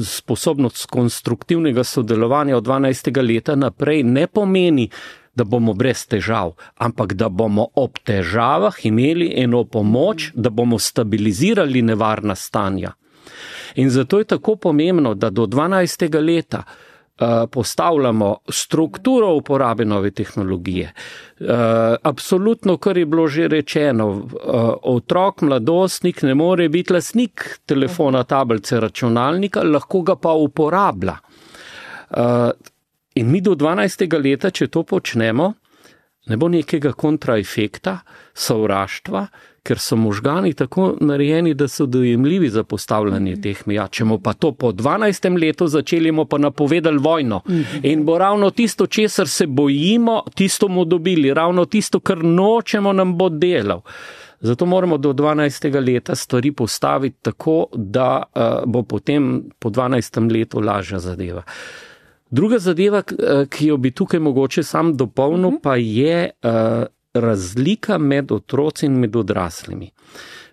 sposobnost konstruktivnega sodelovanja od 12. leta naprej ne pomeni, da bomo brez težav, ampak da bomo ob težavah imeli eno pomoč, da bomo stabilizirali nevarna stanja. In zato je tako pomembno, da do 12. leta postavljamo strukturo uporabe nove tehnologije. Absolutno, kar je bilo že rečeno, otrok, mladostnik ne more biti lastnik telefona, tablice, računalnika, lahko ga pa uporablja. In mi do 12. leta, če to počnemo, ne bo nekega kontraefekta, sovraštva, ker so možgani tako narejeni, da so dojemljivi za postavljanje teh meja. Če bomo pa to po 12. letu začeli, bomo pa napovedali vojno. In bo ravno tisto, česar se bojimo, tisto bomo dobili. Ravno tisto, kar nočemo, nam bo delal. Zato moramo do 12. leta stvari postaviti tako, da bo potem po 12. letu lažja zadeva. Druga zadeva, ki jo bi tukaj mogoče sam dopolnil, pa je razlika med otroci in med odraslimi.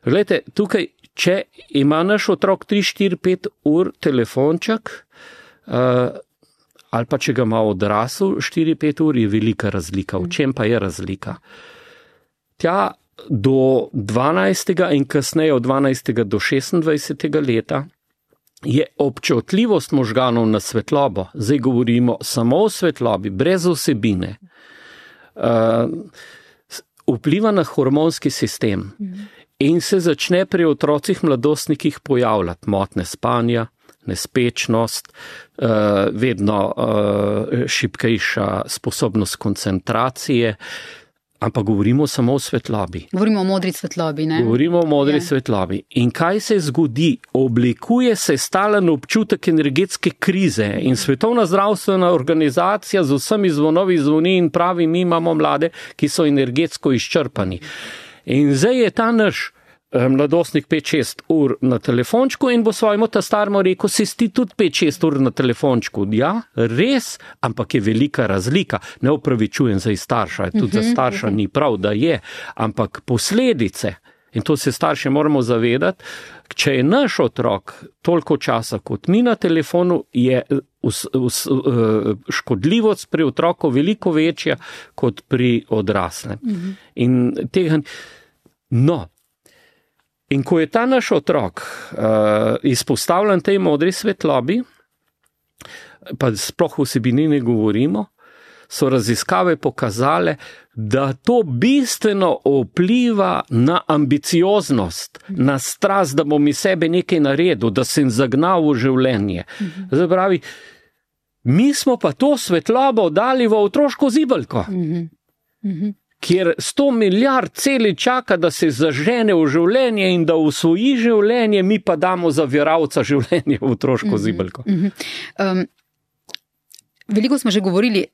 Glejte, tukaj, če ima naš otrok 3, 4, 5 ur telefonček, ali pa če ga ima odrasel 4, 5 ur, je velika razlika. V čem pa je razlika? Tja do 12. in kasneje od 12. do 26. leta je občutljivost možganov na svetlobo, zdaj govorimo samo o svetlobi, brez vsebine, vpliva na hormonski sistem in se začne pri otrocih mladostnikih pojavljati motnje spanja, nespečnost, vedno šibkejša sposobnost koncentracije, ampak govorimo samo o svetlobi. Govorimo o modri svetlobi, ne? Govorimo o modri svetlobi. In kaj se zgodi? Oblikuje se stalen občutek energetske krize in Svetovna zdravstvena organizacija z vsemi zvonovi zvoni in pravi, mi imamo mlade, ki so energetsko izčrpani. In zdaj je ta naš mladostnik 5-6 ur na telefončku in bo svojemu tastarmu rekel, si tudi 5-6 ur na telefončku. Ja, res, ampak je velika razlika. Ne opravičujem za starša, tudi za starša ni prav, da je, ampak posledice, in to se starši moramo zavedati, če je naš otrok toliko časa kot mi na telefonu, je škodljivost pri otroku veliko večja kot pri odraslem. In tega, in ko je ta naš otrok izpostavljen tej modri svetlobi, pa sploh vsebini ne govorimo, so raziskave pokazale, da to bistveno vpliva na ambicioznost, na strast, da bom iz sebe nekaj naredil, da sem zagnal v življenje. Zdaj pravi, mi smo pa to svetlobo dali v otroško zibelko. Kjer 100 milijard celi čaka, da se zažene v življenje in da usvoji življenje, mi pa damo zaviralca življenje v otroško zibelko. Veliko smo že govorili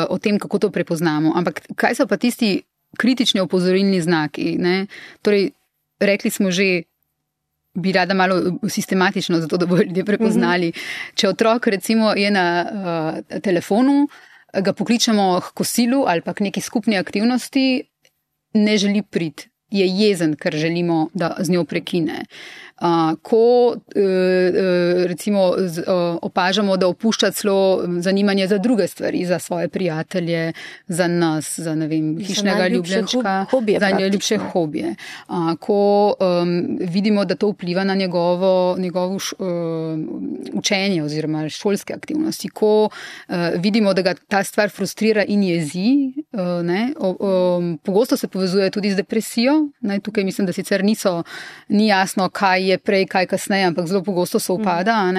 o tem, kako to prepoznamo, ampak kaj so pa tisti kritični opozorilni znaki? Ne? Torej, rekli smo že, bi rada malo sistematično, zato da bodo ljudje prepoznali. Če otrok recimo je na telefonu, ga pokličemo k kosilu ali pa k neki skupni aktivnosti, ne želi priti, je jezen, ker želimo, da z njo prekine. Ko recimo opažamo, da opušča celo zanimanje za druge stvari, za svoje prijatelje, za nas, za ne vem, hišnega ljubljenčka, za najljubše hobije. Ko vidimo, da to vpliva na njegovo učenje oziroma šolske aktivnosti, ko vidimo, da ga ta stvar frustrira in jezi, pogosto se povezuje tudi z depresijo. Tukaj mislim, da sicer ni jasno, kaj je prej, kaj kasneje, ampak zelo pogosto se upada.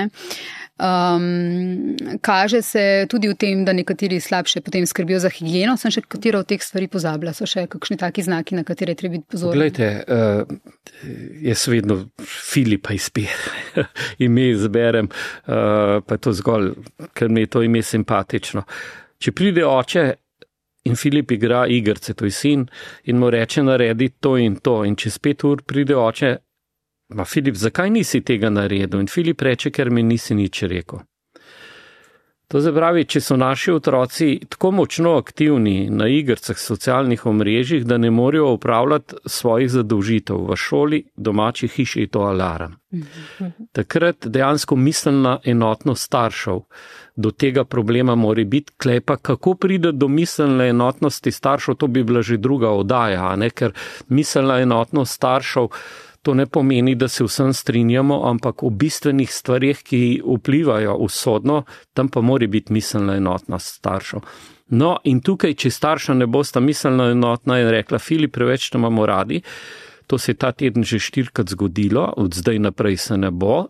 Kaže se tudi v tem, da nekateri slabše potem skrbijo za higieno. Sem še katero od teh stvari pozabila? So še kakšni taki znaki, na katere treba biti pozorni? Glejte, jaz vedno Filipa ime izberem, pa to zgolj, ker mi je to ime simpatično. Če pride oče in Filip igra igrice, to je sin, in mu reče naredi to, in čez 5 ur pride oče, Filip, zakaj nisi tega naredil? In Filip reče, ker mi nisi nič rekel. To se pravi, če so naši otroci tako močno aktivni na igricah, socialnih omrežjih, da ne morejo upravljati svojih zadolžitev v šoli, domači hiši, je to alarm. Takrat dejansko miselna enotnost staršev do tega problema mora biti. Klepa, kako pride do miselne enotnosti staršev, to bi bila že druga oddaja, ker miselna enotnost staršev to ne pomeni, da se vsem strinjamo, ampak o bistvenih stvarih, ki vplivajo usodno, tam pa mora biti miselna enotnost staršev. No, in tukaj, če starša ne bosta miselna enotna in rekla, Filip, preveč te imamo radi, to se je ta teden že 4-krat zgodilo, od zdaj naprej se ne bo,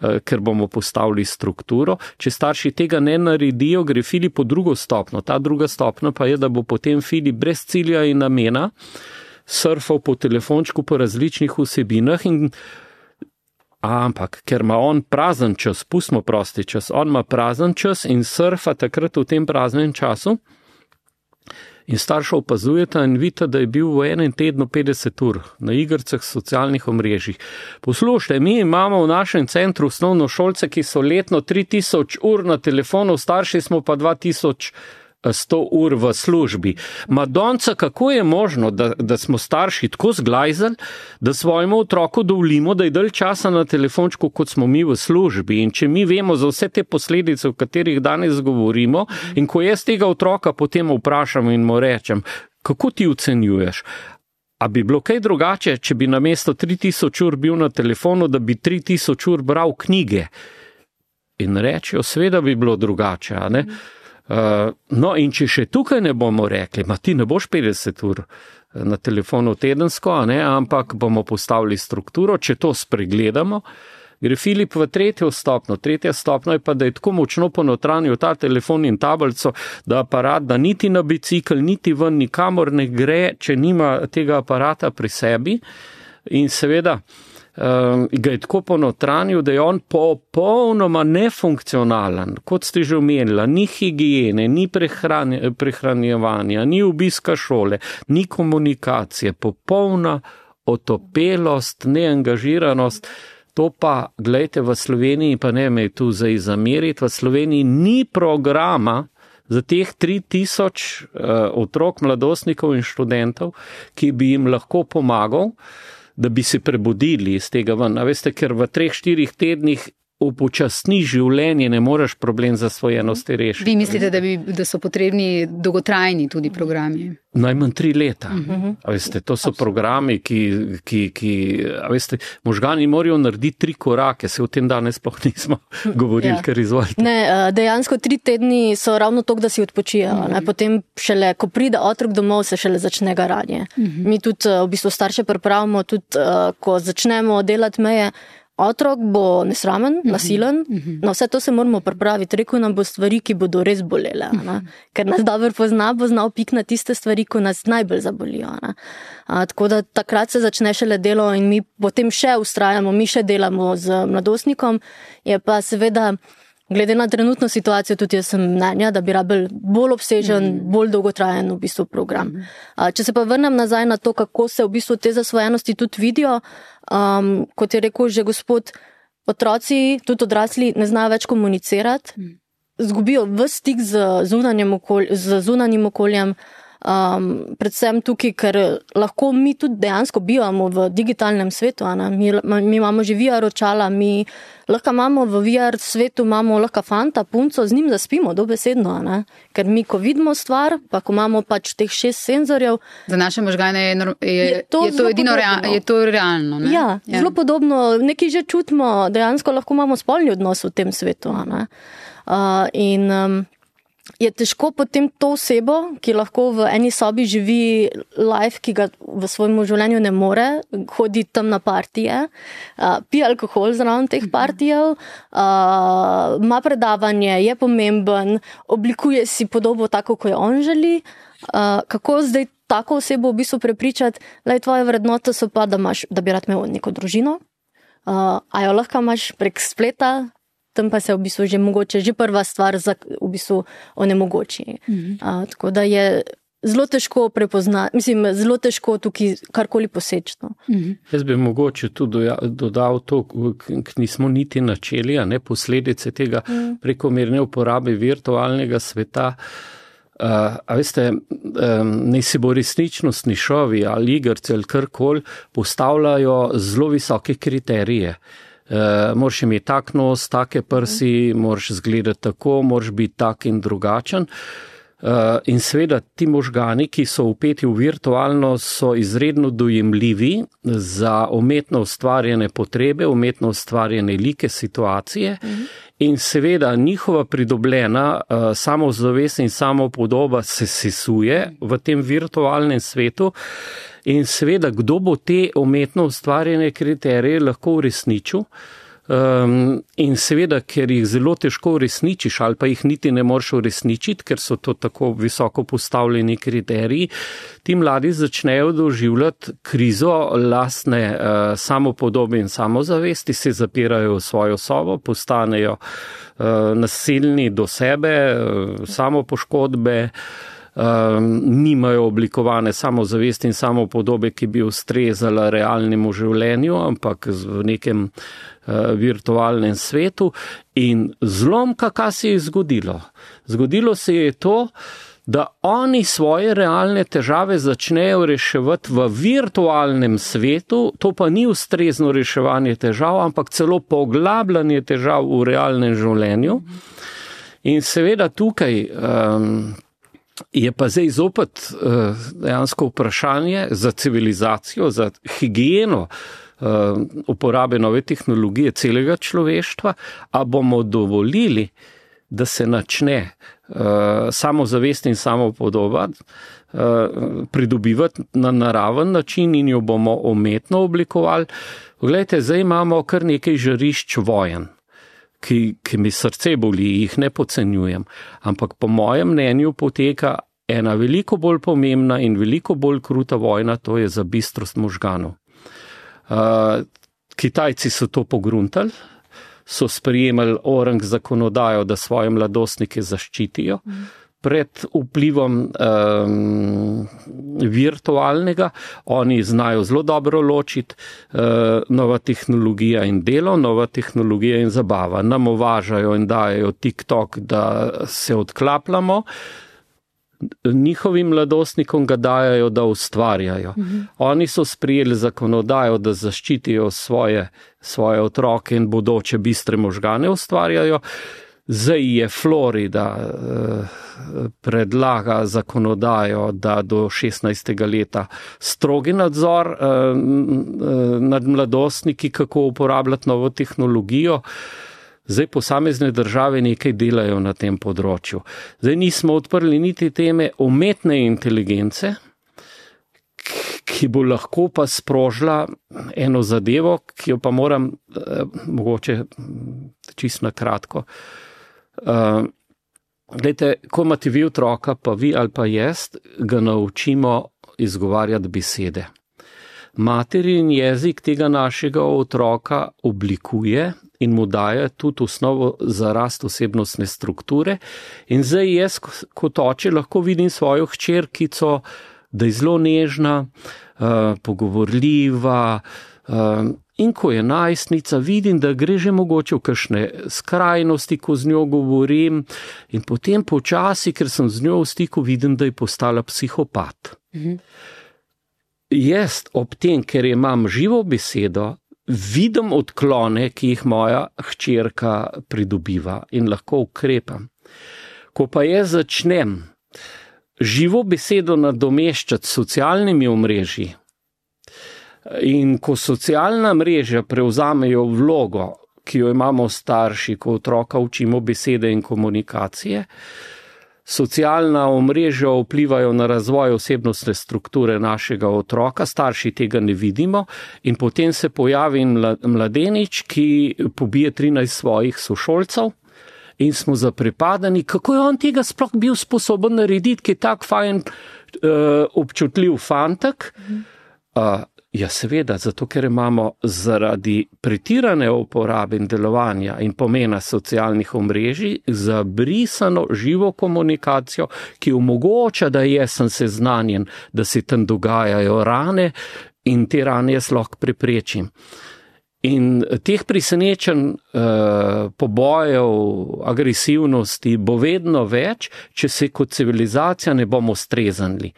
ker bomo postavili strukturo. Če starši tega ne naredijo, gre Filip po drugo stopno. Ta druga stopna pa je, da bo potem Filip brez cilja in namena surfal po telefončku po različnih vsebinah, ampak ker ima on prazen čas, pustimo prosti čas, on ima prazen čas in surfa takrat v tem praznem času in starša opazujeta in vidita, da je bil v enem tednu 50 ur na igricah socialnih omrežjih. Poslušajte, mi imamo v našem centru osnovnošolce, ki so letno 3000 ur na telefonu, starši smo pa 2100 ur v službi. Madonca, kako je možno, da smo starši tako zglajzali, da svojemu otroku dovolimo, da je dalj časa na telefončku, kot smo mi v službi. In če mi vemo za vse te posledice, o katerih danes govorimo, in ko jaz tega otroka potem vprašam in mu rečem, kako ti ocenjuješ? A bi bilo kaj drugače, če bi namesto 3000 ur bil na telefonu, da bi 3000 ur bral knjige? In rečejo, seveda bi bilo drugače, a ne? No, in če še tukaj ne bomo rekli, ti ne boš 50 ur na telefonu tedensko, ne, ampak bomo postavili strukturo, če to spregledamo, gre Filip v tretjo stopno. Tretja stopno je pa, da je tako močno ponotranil ta telefon in tablico, da aparat, da niti na bicikl, niti ven, nikamor ne gre, če nima tega aparata pri sebi. In seveda ga je tako ponotranil, da je on popolnoma nefunkcionalen, kot ste že omenila, ni higiene, ni prehranjevanja, ni obiska šole, ni komunikacije, popolna otopelost, neangažiranost. To pa, gledajte, v Sloveniji, pa ne me tu zdaj zameriti, v Sloveniji ni programa za teh 3000 otrok, mladostnikov in študentov, ki bi jim lahko pomagal, da bi se prebudili iz tega ven. A veste, ker v 3-4 tednih upočasni življenje, ne moreš problem zasvojenosti rešiti. Vi mislite, da so potrebni dolgotrajni tudi programi? Najmanj 3 leta. A veste, to so programi, a veste, možgani morajo narediti 3 korake, se o tem danes sploh nismo govorili, ker izvolite. Ne, dejansko 3 tedni so ravno to, da si odpočijo. Potem šele, ko pride otrok domov, se šele začne garanje. Mi tudi v bistvu starše pripravimo, tudi ko začnemo delati meje, otrok bo nesramen, nasilen, na vse to se moramo pripraviti. Rekel nam bo stvari, ki bodo res bolele, ker nas dobro pozna, bo znal pik na tiste stvari, ko nas najbolj zabolijo. Tako da takrat se začne šele delo in mi potem še ustrajamo, mi še delamo z mladostnikom, je pa seveda, glede na trenutno situacijo, tudi jaz sem mnenja, da bi rabili bolj obsežen, bolj dolgotrajen v bistvu program. Če se pa vrnem nazaj na to, kako se v bistvu te zasvojenosti tudi vidijo, kot je rekel že gospod, otroci, tudi odrasli, ne znajo več komunicirati, zgubijo ves stik z zunanjim okoljem, predvsem tukaj, ker lahko mi tudi dejansko bivamo v digitalnem svetu, mi imamo že VR očala, mi lahko imamo v VR svetu, imamo lahko fanta, punco, z njim zaspimo dobesedno, ker mi, ko vidimo stvar, pa ko imamo pač teh 6 senzorjev. Za naše možgane je to edino je to realno. Ne? Ja, zelo podobno, nekaj že čutimo, dejansko lahko imamo spolni odnos v tem svetu. Je težko potem to osebo, ki lahko v eni sobi živi life, ki ga v svojem življenju ne more, hodi tam na partije, pije alkohol zraven teh partijev, ima predavanje, je pomemben, oblikuje si podobo tako, kot jo on želi. Kako zdaj tako osebo v bistvu prepričati, da tvoje vrednote so pa, da bi rad imel neko družino, a jo lahko imaš prek spleta, tam pa se v bistvu že mogoče, že prva stvar v bistvu onemogoči. Tako da je zelo težko prepoznati, zelo težko tukaj karkoli poseči. Jaz bi mogoče tudi dodal to, nismo niti načeli, posledice tega prekomerne uporabe virtualnega sveta. A veste, ne si bo resničnostni šovi ali igrci ali karkoli postavljajo zelo visoke kriterije. Moraš imeti tak nos, take prsi, moraš izgledati tako, moraš biti tak in drugačen. In seveda ti možgani, ki so vpeti v virtualno, so izredno dojemljivi za umetno ustvarjene potrebe, umetno ustvarjene like, situacije. In seveda njihova pridobljena samozavest in samopodoba se sesuje v tem virtualnem svetu. In seveda, kdo bo te umetno ustvarjene kriterije lahko uresničil? In seveda, ker jih zelo težko uresničiš ali pa jih niti ne moreš uresničiti, ker so to tako visoko postavljeni kriteriji, ti mladi začnejo doživljati krizo lastne samopodobe in samozavesti, se zapirajo v svojo sobo, postanejo nasilni do sebe, samopoškodbe, nimajo oblikovane samozavesti in samopodobe, ki bi ustrezala realnemu življenju, ampak v nekem virtualnem svetu. In zlomka, kaj se je zgodilo? Zgodilo se je to, da oni svoje realne težave začnejo reševati v virtualnem svetu, to pa ni ustrezno reševanje težav, ampak celo poglabljanje težav v realnem življenju. In seveda tukaj je pa zdaj zopet dejansko vprašanje za civilizacijo, za higieno uporabe nove tehnologije celega človeštva, a bomo dovolili, da se načne samozavest in samopodoba pridobivati na naraven način in jo bomo umetno oblikovali. Poglejte, zdaj imamo kar nekaj žarišč vojen, ki mi srce boli, jih ne podcenjujem, ampak po mojem mnenju poteka ena veliko bolj pomembna in veliko bolj kruta vojna, to je za bistrost možganov. Kitajci so to pogruntali, so sprejemali orang zakonodajo, da svoje mladostnike zaščitijo pred vplivom virtualnega. Oni znajo zelo dobro ločiti nova tehnologija in delo, nova tehnologija in zabava. Nam uvažajo in dajo TikTok, da se odklapljamo. Njihovim mladostnikom ga dajajo, da ustvarjajo. Oni so sprejeli zakonodajo, da zaščitijo svoje otroke in bodoče bistre možgane ustvarjajo. Zdaj je Florida predlaga zakonodajo, da do 16. leta strogi nadzor nad mladostniki, kako uporabljati novo tehnologijo. Zdaj posamezne države nekaj delajo na tem področju. Zdaj nismo odprli niti teme umetne inteligence, ki bo lahko pa sprožila eno zadevo, ki jo pa moram mogoče čisto na kratko. Glejte, ko imate vi otroka, pa vi ali pa jaz, ga naučimo izgovarjati besede. Materin jezik tega našega otroka oblikuje in mu daje tudi osnovo za rast osebnostne strukture. In zdaj jaz kot oče lahko vidim svojo hčerkico, da je zelo nežna, pogovorljiva, in ko je najstnica, vidim, da gre že mogoče v kakšne skrajnosti, ko z njo govorim, in potem počasi, ker sem z njo v stiku, vidim, da je postala psihopat. Jaz ob tem, ker imam živo besedo, vidim odklone, ki jih moja hčerka pridobiva in lahko ukrepam. Ko pa jaz začnem živo besedo nadomeščati s socialnimi omrežji in ko socialna mreža prevzamejo vlogo, ki jo imamo starši, ko otroka učimo besede in komunikacije, socialna omrežja vplivajo na razvoj osebnostne strukture našega otroka, starši tega ne vidimo in potem se pojavi mladenič, ki pobije 13 svojih sošolcev in smo zaprepadeni, kako je on tega sploh bil sposoben narediti, ki je tak fajn občutljiv fantek. Ja, seveda, zato ker imamo zaradi pretirane uporabe in delovanja in pomena socialnih omrežij zabrisano živo komunikacijo, ki omogoča, da jaz sem seznanjen, da se tam dogajajo rane in te rane jaz lahko preprečim. In teh presenečenj, pobojev, agresivnosti bo vedno več, če se kot civilizacija ne bomo streznili.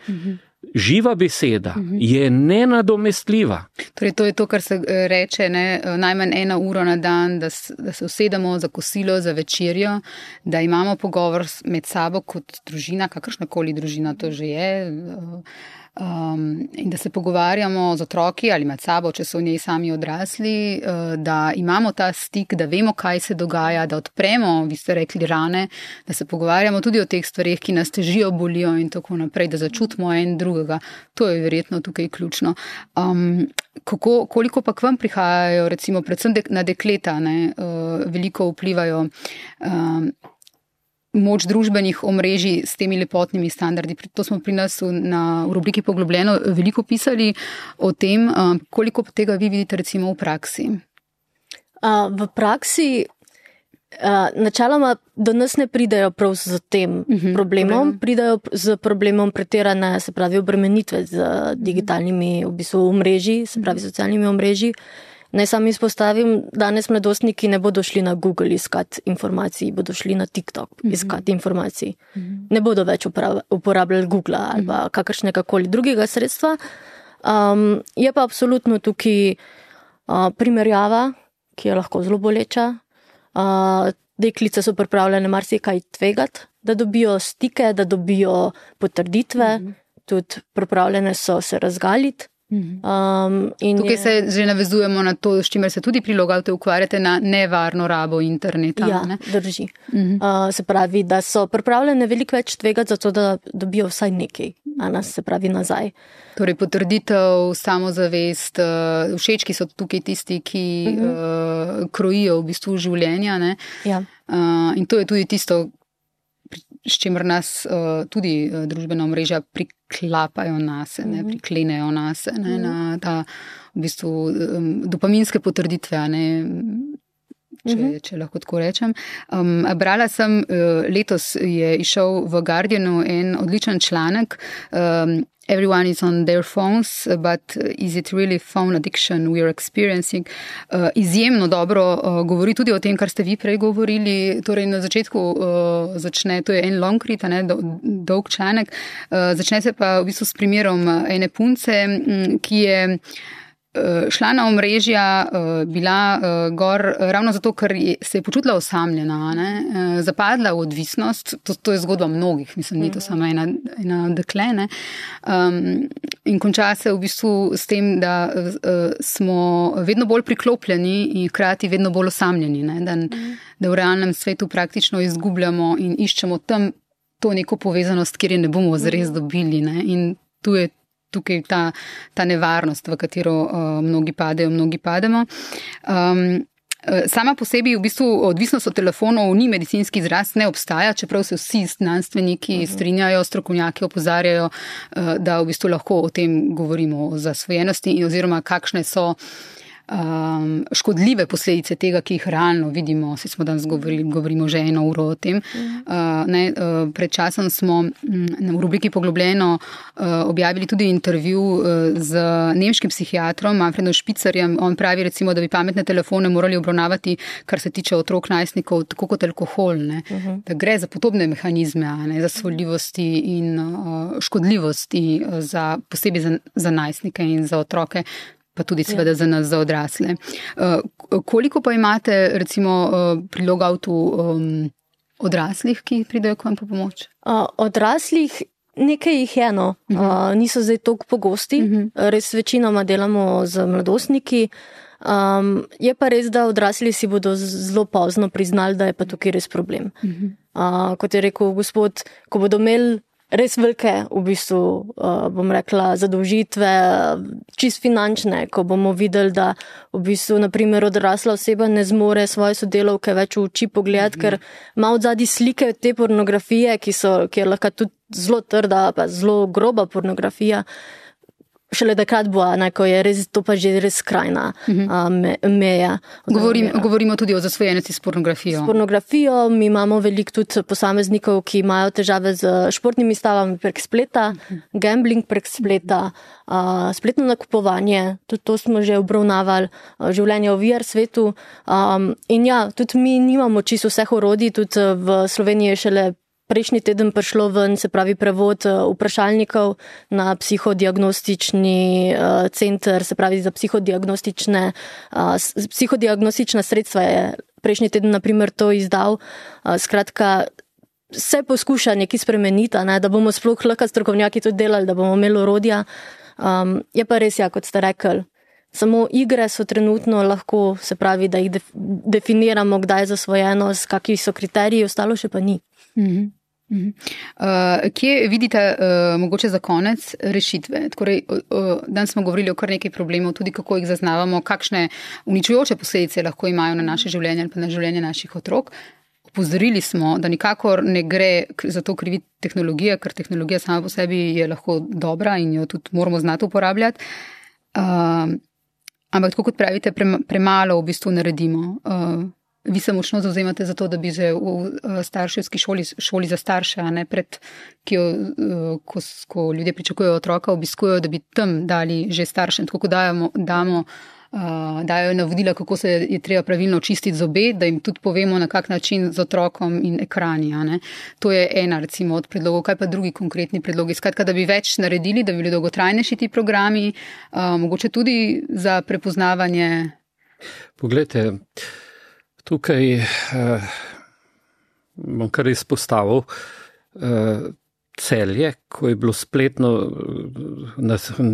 Živa beseda je nenadomestljiva. Torej, to je to, kar se reče, najmanj 1 uro na dan, da se usedemo za kosilo, za večerjo, da imamo pogovor med sabo kot družina, kakršnakoli družina to že je, in da se pogovarjamo z otroki ali med sabo, če so v njej sami odrasli, da imamo ta stik, da vemo, kaj se dogaja, da odpremo, vi ste rekli, rane, da se pogovarjamo tudi o teh stvareh, ki nas težijo, bolijo in tako naprej, da začutimo en drugega. To je verjetno tukaj ključno. Koliko pa k vam prihajajo, recimo, predvsem na dekleta, veliko vplivajo moč družbenih omrežij s temi lepotnimi standardi. To smo pri nas v rubriki Poglobljeno veliko pisali o tem, koliko tega vi vidite recimo v praksi. V praksi načeloma do nas ne pridajo prav z tem problemom, pridajo z problemom pretirane, se pravi, obremenitve z digitalnimi v bistvu omrežji, se pravi socialnimi omrežji. Naj sam izpostavim, danes mladostniki ne bodo šli na Google iskati informacij, bodo šli na TikTok iskati informacij. Ne bodo več uporabljali Google ali kakršnekakoli drugega sredstva. Je pa absolutno tukaj primerjava, ki je lahko zelo boleča. Deklice so pripravljene marsikaj tvegati, da dobijo stike, da dobijo potrditve, tudi pripravljene so se razgaliti Tukaj se že navezujemo na to, s čimer se tudi pri Logoutu ukvarjate, na nevarno rabo interneta. Ja, ne? Drži. Se pravi, da so pripravljene veliko več tvegati za to, da dobijo vsaj nekaj, se pravi nazaj. Torej potrditev, samozavest, všečki so tukaj tisti, ki krojijo v bistvu življenja. Ne? Ja. In to je tudi tisto, s čimer nas tudi družbena omrežja priklapajo nase, priklenejo nase, na ta v bistvu dopaminske potrditve, če lahko tako rečem. Brala sem, letos je izšel v Guardianu en odličen članek, Everyone is on their phones, but is it really phone addiction we are experiencing? Izjemno dobro govori tudi o tem, kar ste vi prej govorili. Torej na začetku začne, to je en long read, dolg članek, začne se pa v bistvu s primerom ene punce, ki je šla na omrežja, bila gor ravno zato, ker se je počutila osamljena, zapadla v odvisnost, to je zgodba mnogih, mislim, ni to samo ena dekle, in konča se v bistvu s tem, da smo vedno bolj priklopljeni in hkrati vedno bolj osamljeni, da v realnem svetu praktično izgubljamo in iščemo tam to neko povezanost, kjer je ne bomo zares dobili, in tu je tukaj ta nevarnost, v katero mnogi pademo. Sama po sebi v bistvu odvisnost od telefonov ni medicinski izraz, ne obstaja, čeprav se vsi znanstveniki strinjajo, strokovnjaki opozarjajo, da v bistvu lahko o tem govorimo, o zasvojenosti oziroma kakšne so škodljive posledice tega, ki jih realno vidimo. Vsi smo danes govorimo že 1 uro o tem. Pred časom smo v rubriki Poglobljeno objavili tudi intervju z nemškim psihiatrom Manfredom Špicerjem. On pravi recimo, da bi pametne telefone morali obravnavati, kar se tiče otrok, najstnikov, tako kot alkohol. Da gre za podobne mehanizme, zasvoljivosti in škodljivosti, posebej za najstnike in za otroke, pa tudi seveda za nas, za odrasle. Koliko pa imate recimo pri Logoutu odraslih, ki pridejo k vam po pomoč? Odraslih nekaj jih je, niso zdaj toliko pogosti, res večinoma delamo z mladostniki. Je pa res, da odrasli si bodo zelo pozno priznali, da je pa tukaj res problem. Kot je rekel gospod, ko bodo imeli res velike, v bistvu, bom rekla, zadolžitve, čist finančne, ko bomo videli, da v bistvu, naprimer, odrasla oseba ne zmore svoje sodelavke več v oči pogledati, ker ima od zadaj slike te pornografije, ki je lahko tudi zelo trda, pa zelo groba pornografija. Šele takrat bo, ko je res, to pa že res skrajna meja. Govorimo tudi o zasvojenosti s pornografijo. S pornografijo, mi imamo veliko tudi posameznikov, ki imajo težave z športnimi stavami prek spleta, gambling prek spleta, spletno nakupovanje, tudi to smo že obravnavali, življenje v VR svetu. In ja, tudi mi nimamo čisto vseh orodij, tudi v Sloveniji je šele prejšnji teden prišlo ven, se pravi prevod vprašalnikov na psihodiagnostični center, se pravi za psihodiagnostična sredstva je prejšnji teden naprimer to izdal. Skratka, se poskuša nekaj spremeniti, da bomo sploh lahko strokovnjaki tudi delali, da bomo imeli orodja. Je pa res, kot ste rekli, samo igre so trenutno lahko, se pravi, da jih definiramo, kdaj je zasvojenost, kakšni so kriteriji, ostalo še pa ni. Kje vidite mogoče za konec rešitve? Danes smo govorili o kar nekaj problemov, tudi kako jih zaznavamo, kakšne uničujoče posledice lahko imajo na naše življenje ali pa na življenje naših otrok. Opozorili smo, da nikakor ne gre za to kriviti tehnologije, ker tehnologija sama po sebi je lahko dobra in jo tudi moramo znati uporabljati. Ampak tako kot pravite, premalo v bistvu naredimo. Vi se močno zauzemate za to, da bi že v starševski šoli za starše, ko ljudje pričakujejo otroka, obiskujejo, da bi tam dali že staršem, tako kot dajo navodila, kako se je treba pravilno čistiti zobe, da jim tudi povemo, na kak način z otrokom in ekrani. To je ena recimo od predlogov. Kaj pa drugi konkretni predlogi? Skratka, da bi več naredili, da bi bili dolgotrajnejši ti programi, mogoče tudi za prepoznavanje. Poglejte, tukaj bom kar izpostavil Celje, ko je bilo spletno,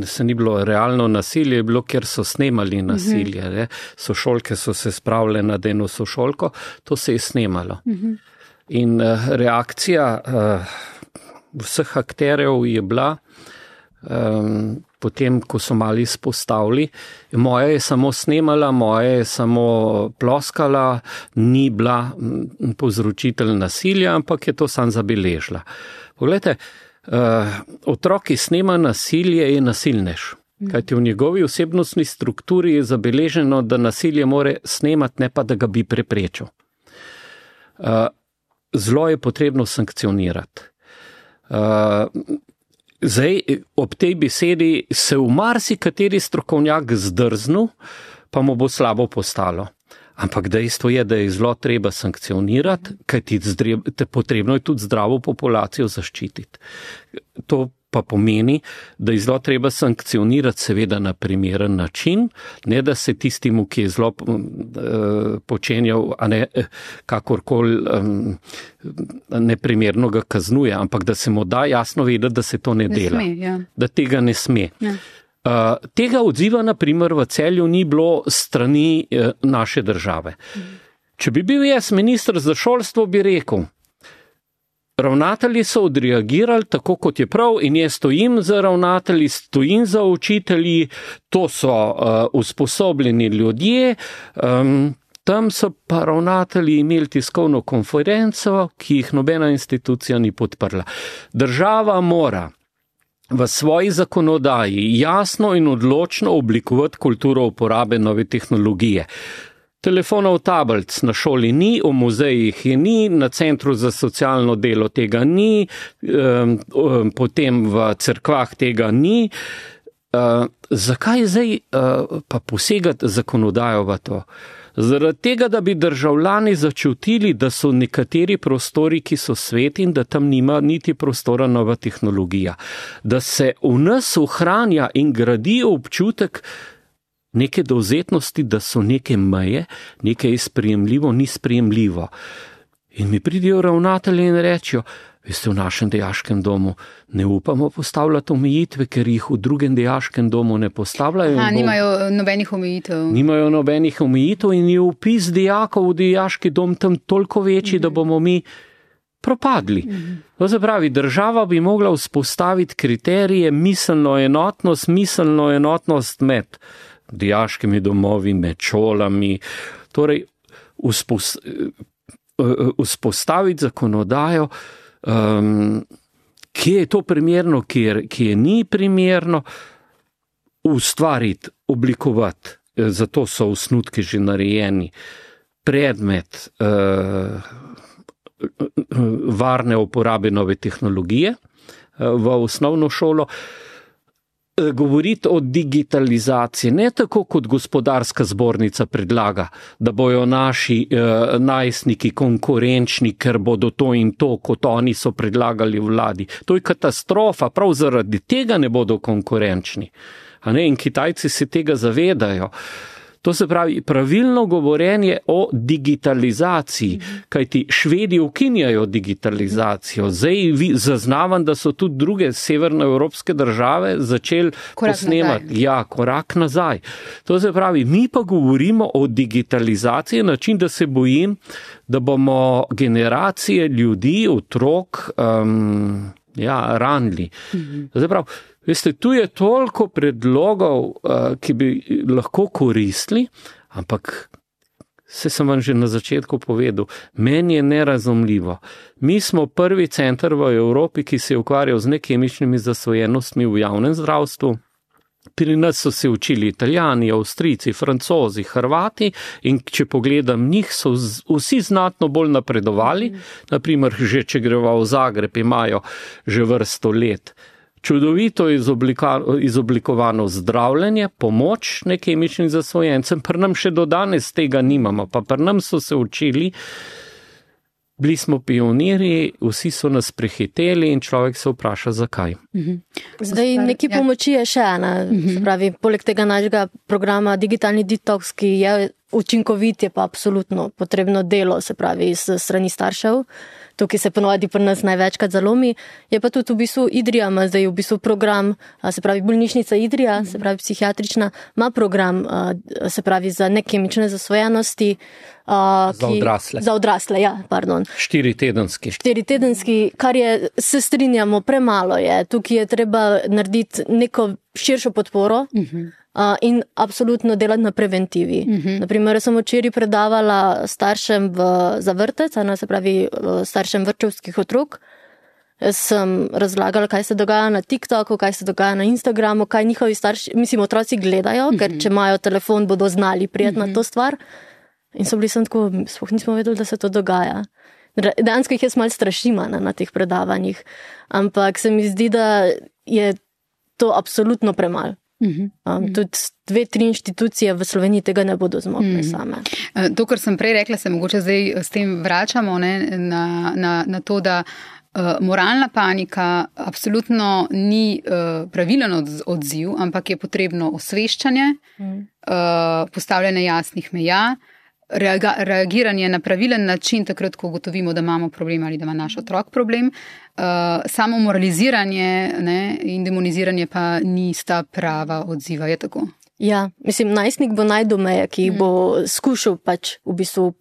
se ni bilo realno nasilje, je bilo, kjer so snemali nasilje. Sošolke so se spravile nad eno sošolko, to se je snemalo. In reakcija vseh akterjev je bila, potem, ko so mali izpostavili, moja je samo snemala, moja je samo ploskala, ni bila povzročitelj nasilja, ampak je to sam zabeležila. Poglejte, otrok, ki snema nasilje, je nasilnež. Kajti v njegovi osebnostni strukturi je zabeleženo, da nasilje more snemati, ne pa da ga bi preprečil. Zlo je potrebno sankcionirati. Zdaj, ob tej besedi se v marsikateri strokovnjak zdrznil, pa mu bo slabo postalo. Ampak dejstvo je, da je zlo treba sankcionirati, kajti potrebno je tudi zdravo populacijo zaščititi. To pa pomeni, da je zlo treba sankcionirati seveda na primeren način, ne da se tistemu, ki je zlo počenjal, a ne kakorkoli neprimerno ga kaznuje, ampak da se mu da jasno vedeti, da se to ne dela, da tega ne sme. Ja. Tega odziva, na primer, v Celju ni bilo strani naše države. Če bi bil jaz minister za šolstvo, bi rekel, ravnatelji so odreagirali tako, kot je prav, in jaz stojim za ravnatelji, stojim za učitelji, to so usposobljeni ljudje, tam so pa ravnatelji imeli tiskovno konferenco, ki jih nobena institucija ni podprla. Država mora v svoji zakonodaji jasno in odločno oblikovati kulturo uporabe nove tehnologije. Telefonov tablic na šoli ni, v muzejih je ni, na centru za socialno delo tega ni, potem v cerkvah tega ni. Zakaj zdaj pa posegati zakonodajo v to? Zaradi tega, da bi državljani začutili, da so nekateri prostori, ki so sveti in da tam nima niti prostora nova tehnologija. Da se v nas ohranja in gradi občutek neke dovzetnosti, da so neke meje, nekaj je sprejemljivo, ni sprejemljivo. In mi pridejo ravnatelji in rečejo, veste, v našem dejaškem domu ne upamo postavljati omejitve, ker jih v drugem dejaškem domu ne postavljajo. Nimajo nobenih omejitev. Nimajo nobenih omejitev in je vpis dejakov v dejaški dom tam toliko večji, da bomo mi propadli. To se pravi, država bi mogla vzpostaviti kriterije, miselno enotnost med dejaškimi domovi, med šolami, torej vzpostaviti zakonodajo, kje je to primerno, kje ni primerno, ustvariti, oblikovati, zato so osnutki že narejeni, predmet varne uporabe nove tehnologije v osnovno šolo, govoriti o digitalizaciji, ne tako kot gospodarska zbornica predlaga, da bojo naši najstniki konkurenčni, ker bodo to in to, kot oni so predlagali vladi. To je katastrofa, prav zaradi tega ne bodo konkurenčni. In Kitajci se tega zavedajo. To se pravi pravilno govorenje o digitalizaciji, kajti Švedi ukinjajo digitalizacijo. Zdaj zaznavam, da so tudi druge severnoevropske države začeli posnemati. Korak nazaj. To se pravi, mi pa govorimo o digitalizaciji na način, da se bojim, da bomo generacije ljudi, otrok, ranili. To se pravi, veste, tu je toliko predlogov, ki bi lahko koristili, ampak se sem vam že na začetku povedal, meni je nerazumljivo. Mi smo prvi center v Evropi, ki se je ukvarjal z nekemičnimi zasvojenostmi v javnem zdravstvu. Pri nas so se učili Italijani, Avstrijci, Francozi, Hrvati in če pogledam njih, so vsi znatno bolj napredovali. Naprimer, že če greva v Zagreb, imajo že vrsto let čudovito izoblikovano zdravljenje, pomoč nekemičnim zasvojencem, pri nam še do danes tega nimamo, pa pri nam so se učili, bili smo pionirji, vsi so nas prehiteli in človek se vpraša, zakaj. Zdaj, neki pomoči je še ena, pravi, poleg tega našega programa Digitalni detoks, ki je učinkovit, je pa absolutno potrebno delo, se pravi, s strani staršev, tukaj se ponovadi pri nas največkrat zalomi. Je pa tudi v bistvu Idrija ima zdaj v bistvu program, se pravi bolnišnica Idrija, se pravi psihiatrična, ima program, se pravi za nekemične zasvojenosti. Za odrasle. Za odrasle, ja, pardon. 4-tedenski, kar je, se strinjamo, premalo je. Tukaj je treba narediti neko širšo podporo in absolutno delati na preventivi. Naprimer, sem včeraj predavala staršem za vrtec, se pravi staršem vrtčevskih otrok. Sem razlagala, kaj se dogaja na TikToku, kaj se dogaja na Instagramu, kaj njihovi starši, otroci gledajo, ker če imajo telefon, bodo znali prijeti na to stvar. In so bili sem tako, sploh nismo vedeli, da se to dogaja. Dejansko jih jaz malo strašim na teh predavanjih, ampak se mi zdi, da je to absolutno premalo. Tudi 2-3 inštitucije v Sloveniji tega ne bodo zmogle same. To, kar sem prej rekla, se mogoče zdaj s tem vračamo na to, da moralna panika absolutno ni pravilen odziv, ampak je potrebno osveščanje, postavljanje jasnih meja, reagiranje na pravilen način, takrat, ko ugotovimo, da imamo problem ali da ima naš otrok problem. Samo moraliziranje in demoniziranje pa nista prava odziva, je tako? Ja, najstnik bo najdel meje, ki jih bo skušal pač v bistvu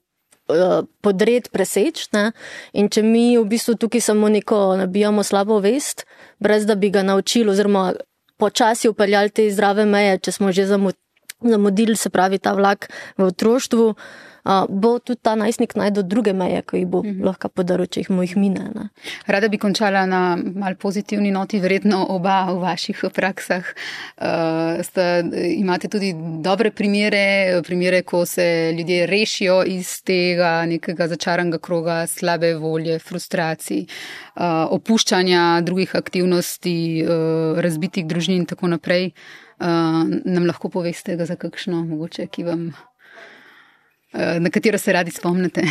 podred, preseč, ne? In če mi v bistvu tukaj samo neko nabijamo slabo vest, brez da bi ga naučili oziroma počasi upeljali te zdrave meje, če smo že zamudili, se pravi ta vlak v otroštvu, bo tudi ta najstnik najdel druge meje, ko jih bo lahko podaril, če jih mine. Ne? Rada bi končala na mal pozitivni noti, verjetno oba v vaših praksah. Imate tudi dobre primere, ko se ljudje rešijo iz tega nekega začaranega kroga slabe volje, frustracij, opuščanja drugih aktivnosti, razbitih družin in tako naprej. Nam lahko poveste za kakšno, mogoče, na katero se radi spomnite?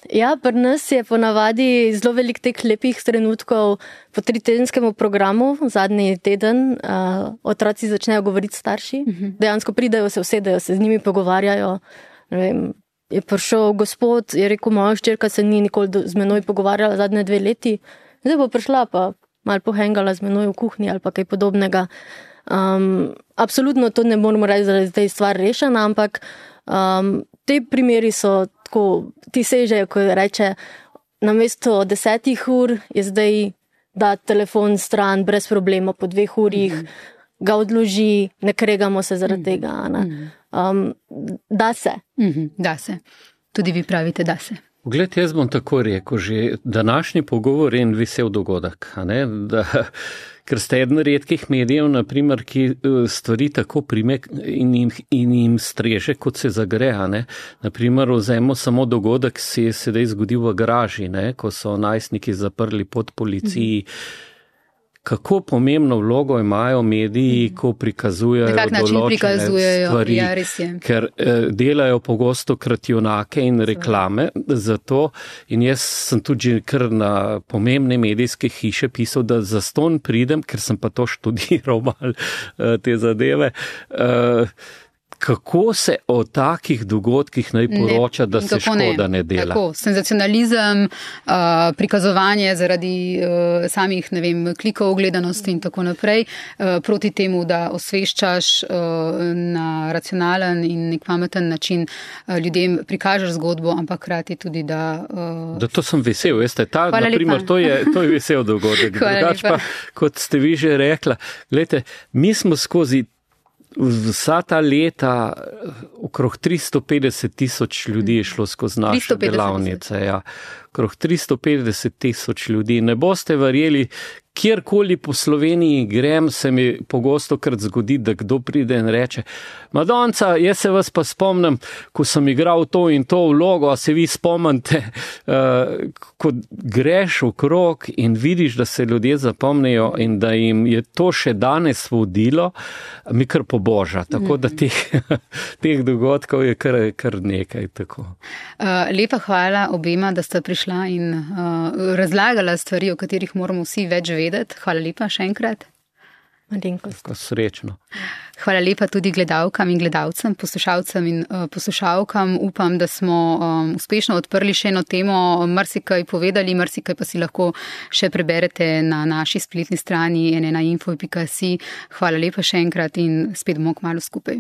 Ja, pri nas je ponavadi zelo velik teh lepih trenutkov po 3-tedenskemu programu, zadnji teden, otroci začnejo govoriti starši, dejansko pridejo, se usedejo, se z njimi pogovarjajo. Ne vem, je prišel gospod, je rekel, moja hčerka se ni nikoli z menoj pogovarjala zadnje 2 leti, zdaj bo prišla pa malo pohengala z menoj v kuhinji ali pa kaj podobnega. Absolutno to ne moramo reči, da je zdaj stvar rešena, ampak te primeri so tako, ti sežejo, ko reče, namesto 10 ur je zdaj da telefon stran brez problema po 2 urih, ga odloži, ne kregamo se zaradi tega. Da se. Da se. Tudi vi pravite, da se. Pogled, jaz bom tako rekel, že današnji pogovor je en vesel dogodek, ker ste eden redkih medijev, naprimer, ki stvari tako prime in jim streže, kot se zagre. Naprimer, vzemo samo dogodek, se je sedaj zgodil v garaži, ko so najstniki zaprli pod policiji. Kako pomembno vlogo imajo mediji, ko prikazujejo določene stvari, ker delajo pogosto krat junake in reklame za to. In jaz sem tudi kar na pomembne medijske hiše pisal, da zastonj pridem, ker sem pa to študiral malo te zadeve. Kako se o takih dogodkih naj poroča, da se škoda ne dela? Tako, senzacionalizem, prikazovanje zaradi samih, klikov, gledanosti in tako naprej, proti temu, da osveščaš na racionalen in nek pameten način ljudem prikažeš zgodbo, ampak hkrati tudi, da... Da to sem vesel, veste, naprimer, to je vesel dogodek. Drugač pa, kot ste vi že rekla, gledajte, mi smo skozi vsa ta leta okrog 350,000 ljudi je šlo skozi naše delavnice. Ja. Okrog 350,000 ljudi. Ne boste verjeli, kjerkoli po Sloveniji grem, se mi pogosto krat zgodi, da kdo pride in reče, Madonca, jaz se vas pa spomnim, ko sem igral to in to vlogo, a se vi spomnite, ko greš okrog in vidiš, da se ljudje zapomnijo in da jim je to še danes vodilo, mi kar poboža. Tako da teh dogodkov je kar nekaj. Tako. Lepa hvala obema, da sta prišla in razlagala stvari, o katerih moramo vsi več vedeti. Hvala lepa še enkrat. Malenkost. Srečno. Hvala lepa tudi gledalkam in gledalcem, poslušalcem in poslušalkam. Upam, da smo uspešno odprli še eno temo, marsikaj povedali, marsikaj pa si lahko še preberete na naši spletni strani nnainfo.si. Hvala lepa še enkrat in spet bomo kmalu skupaj.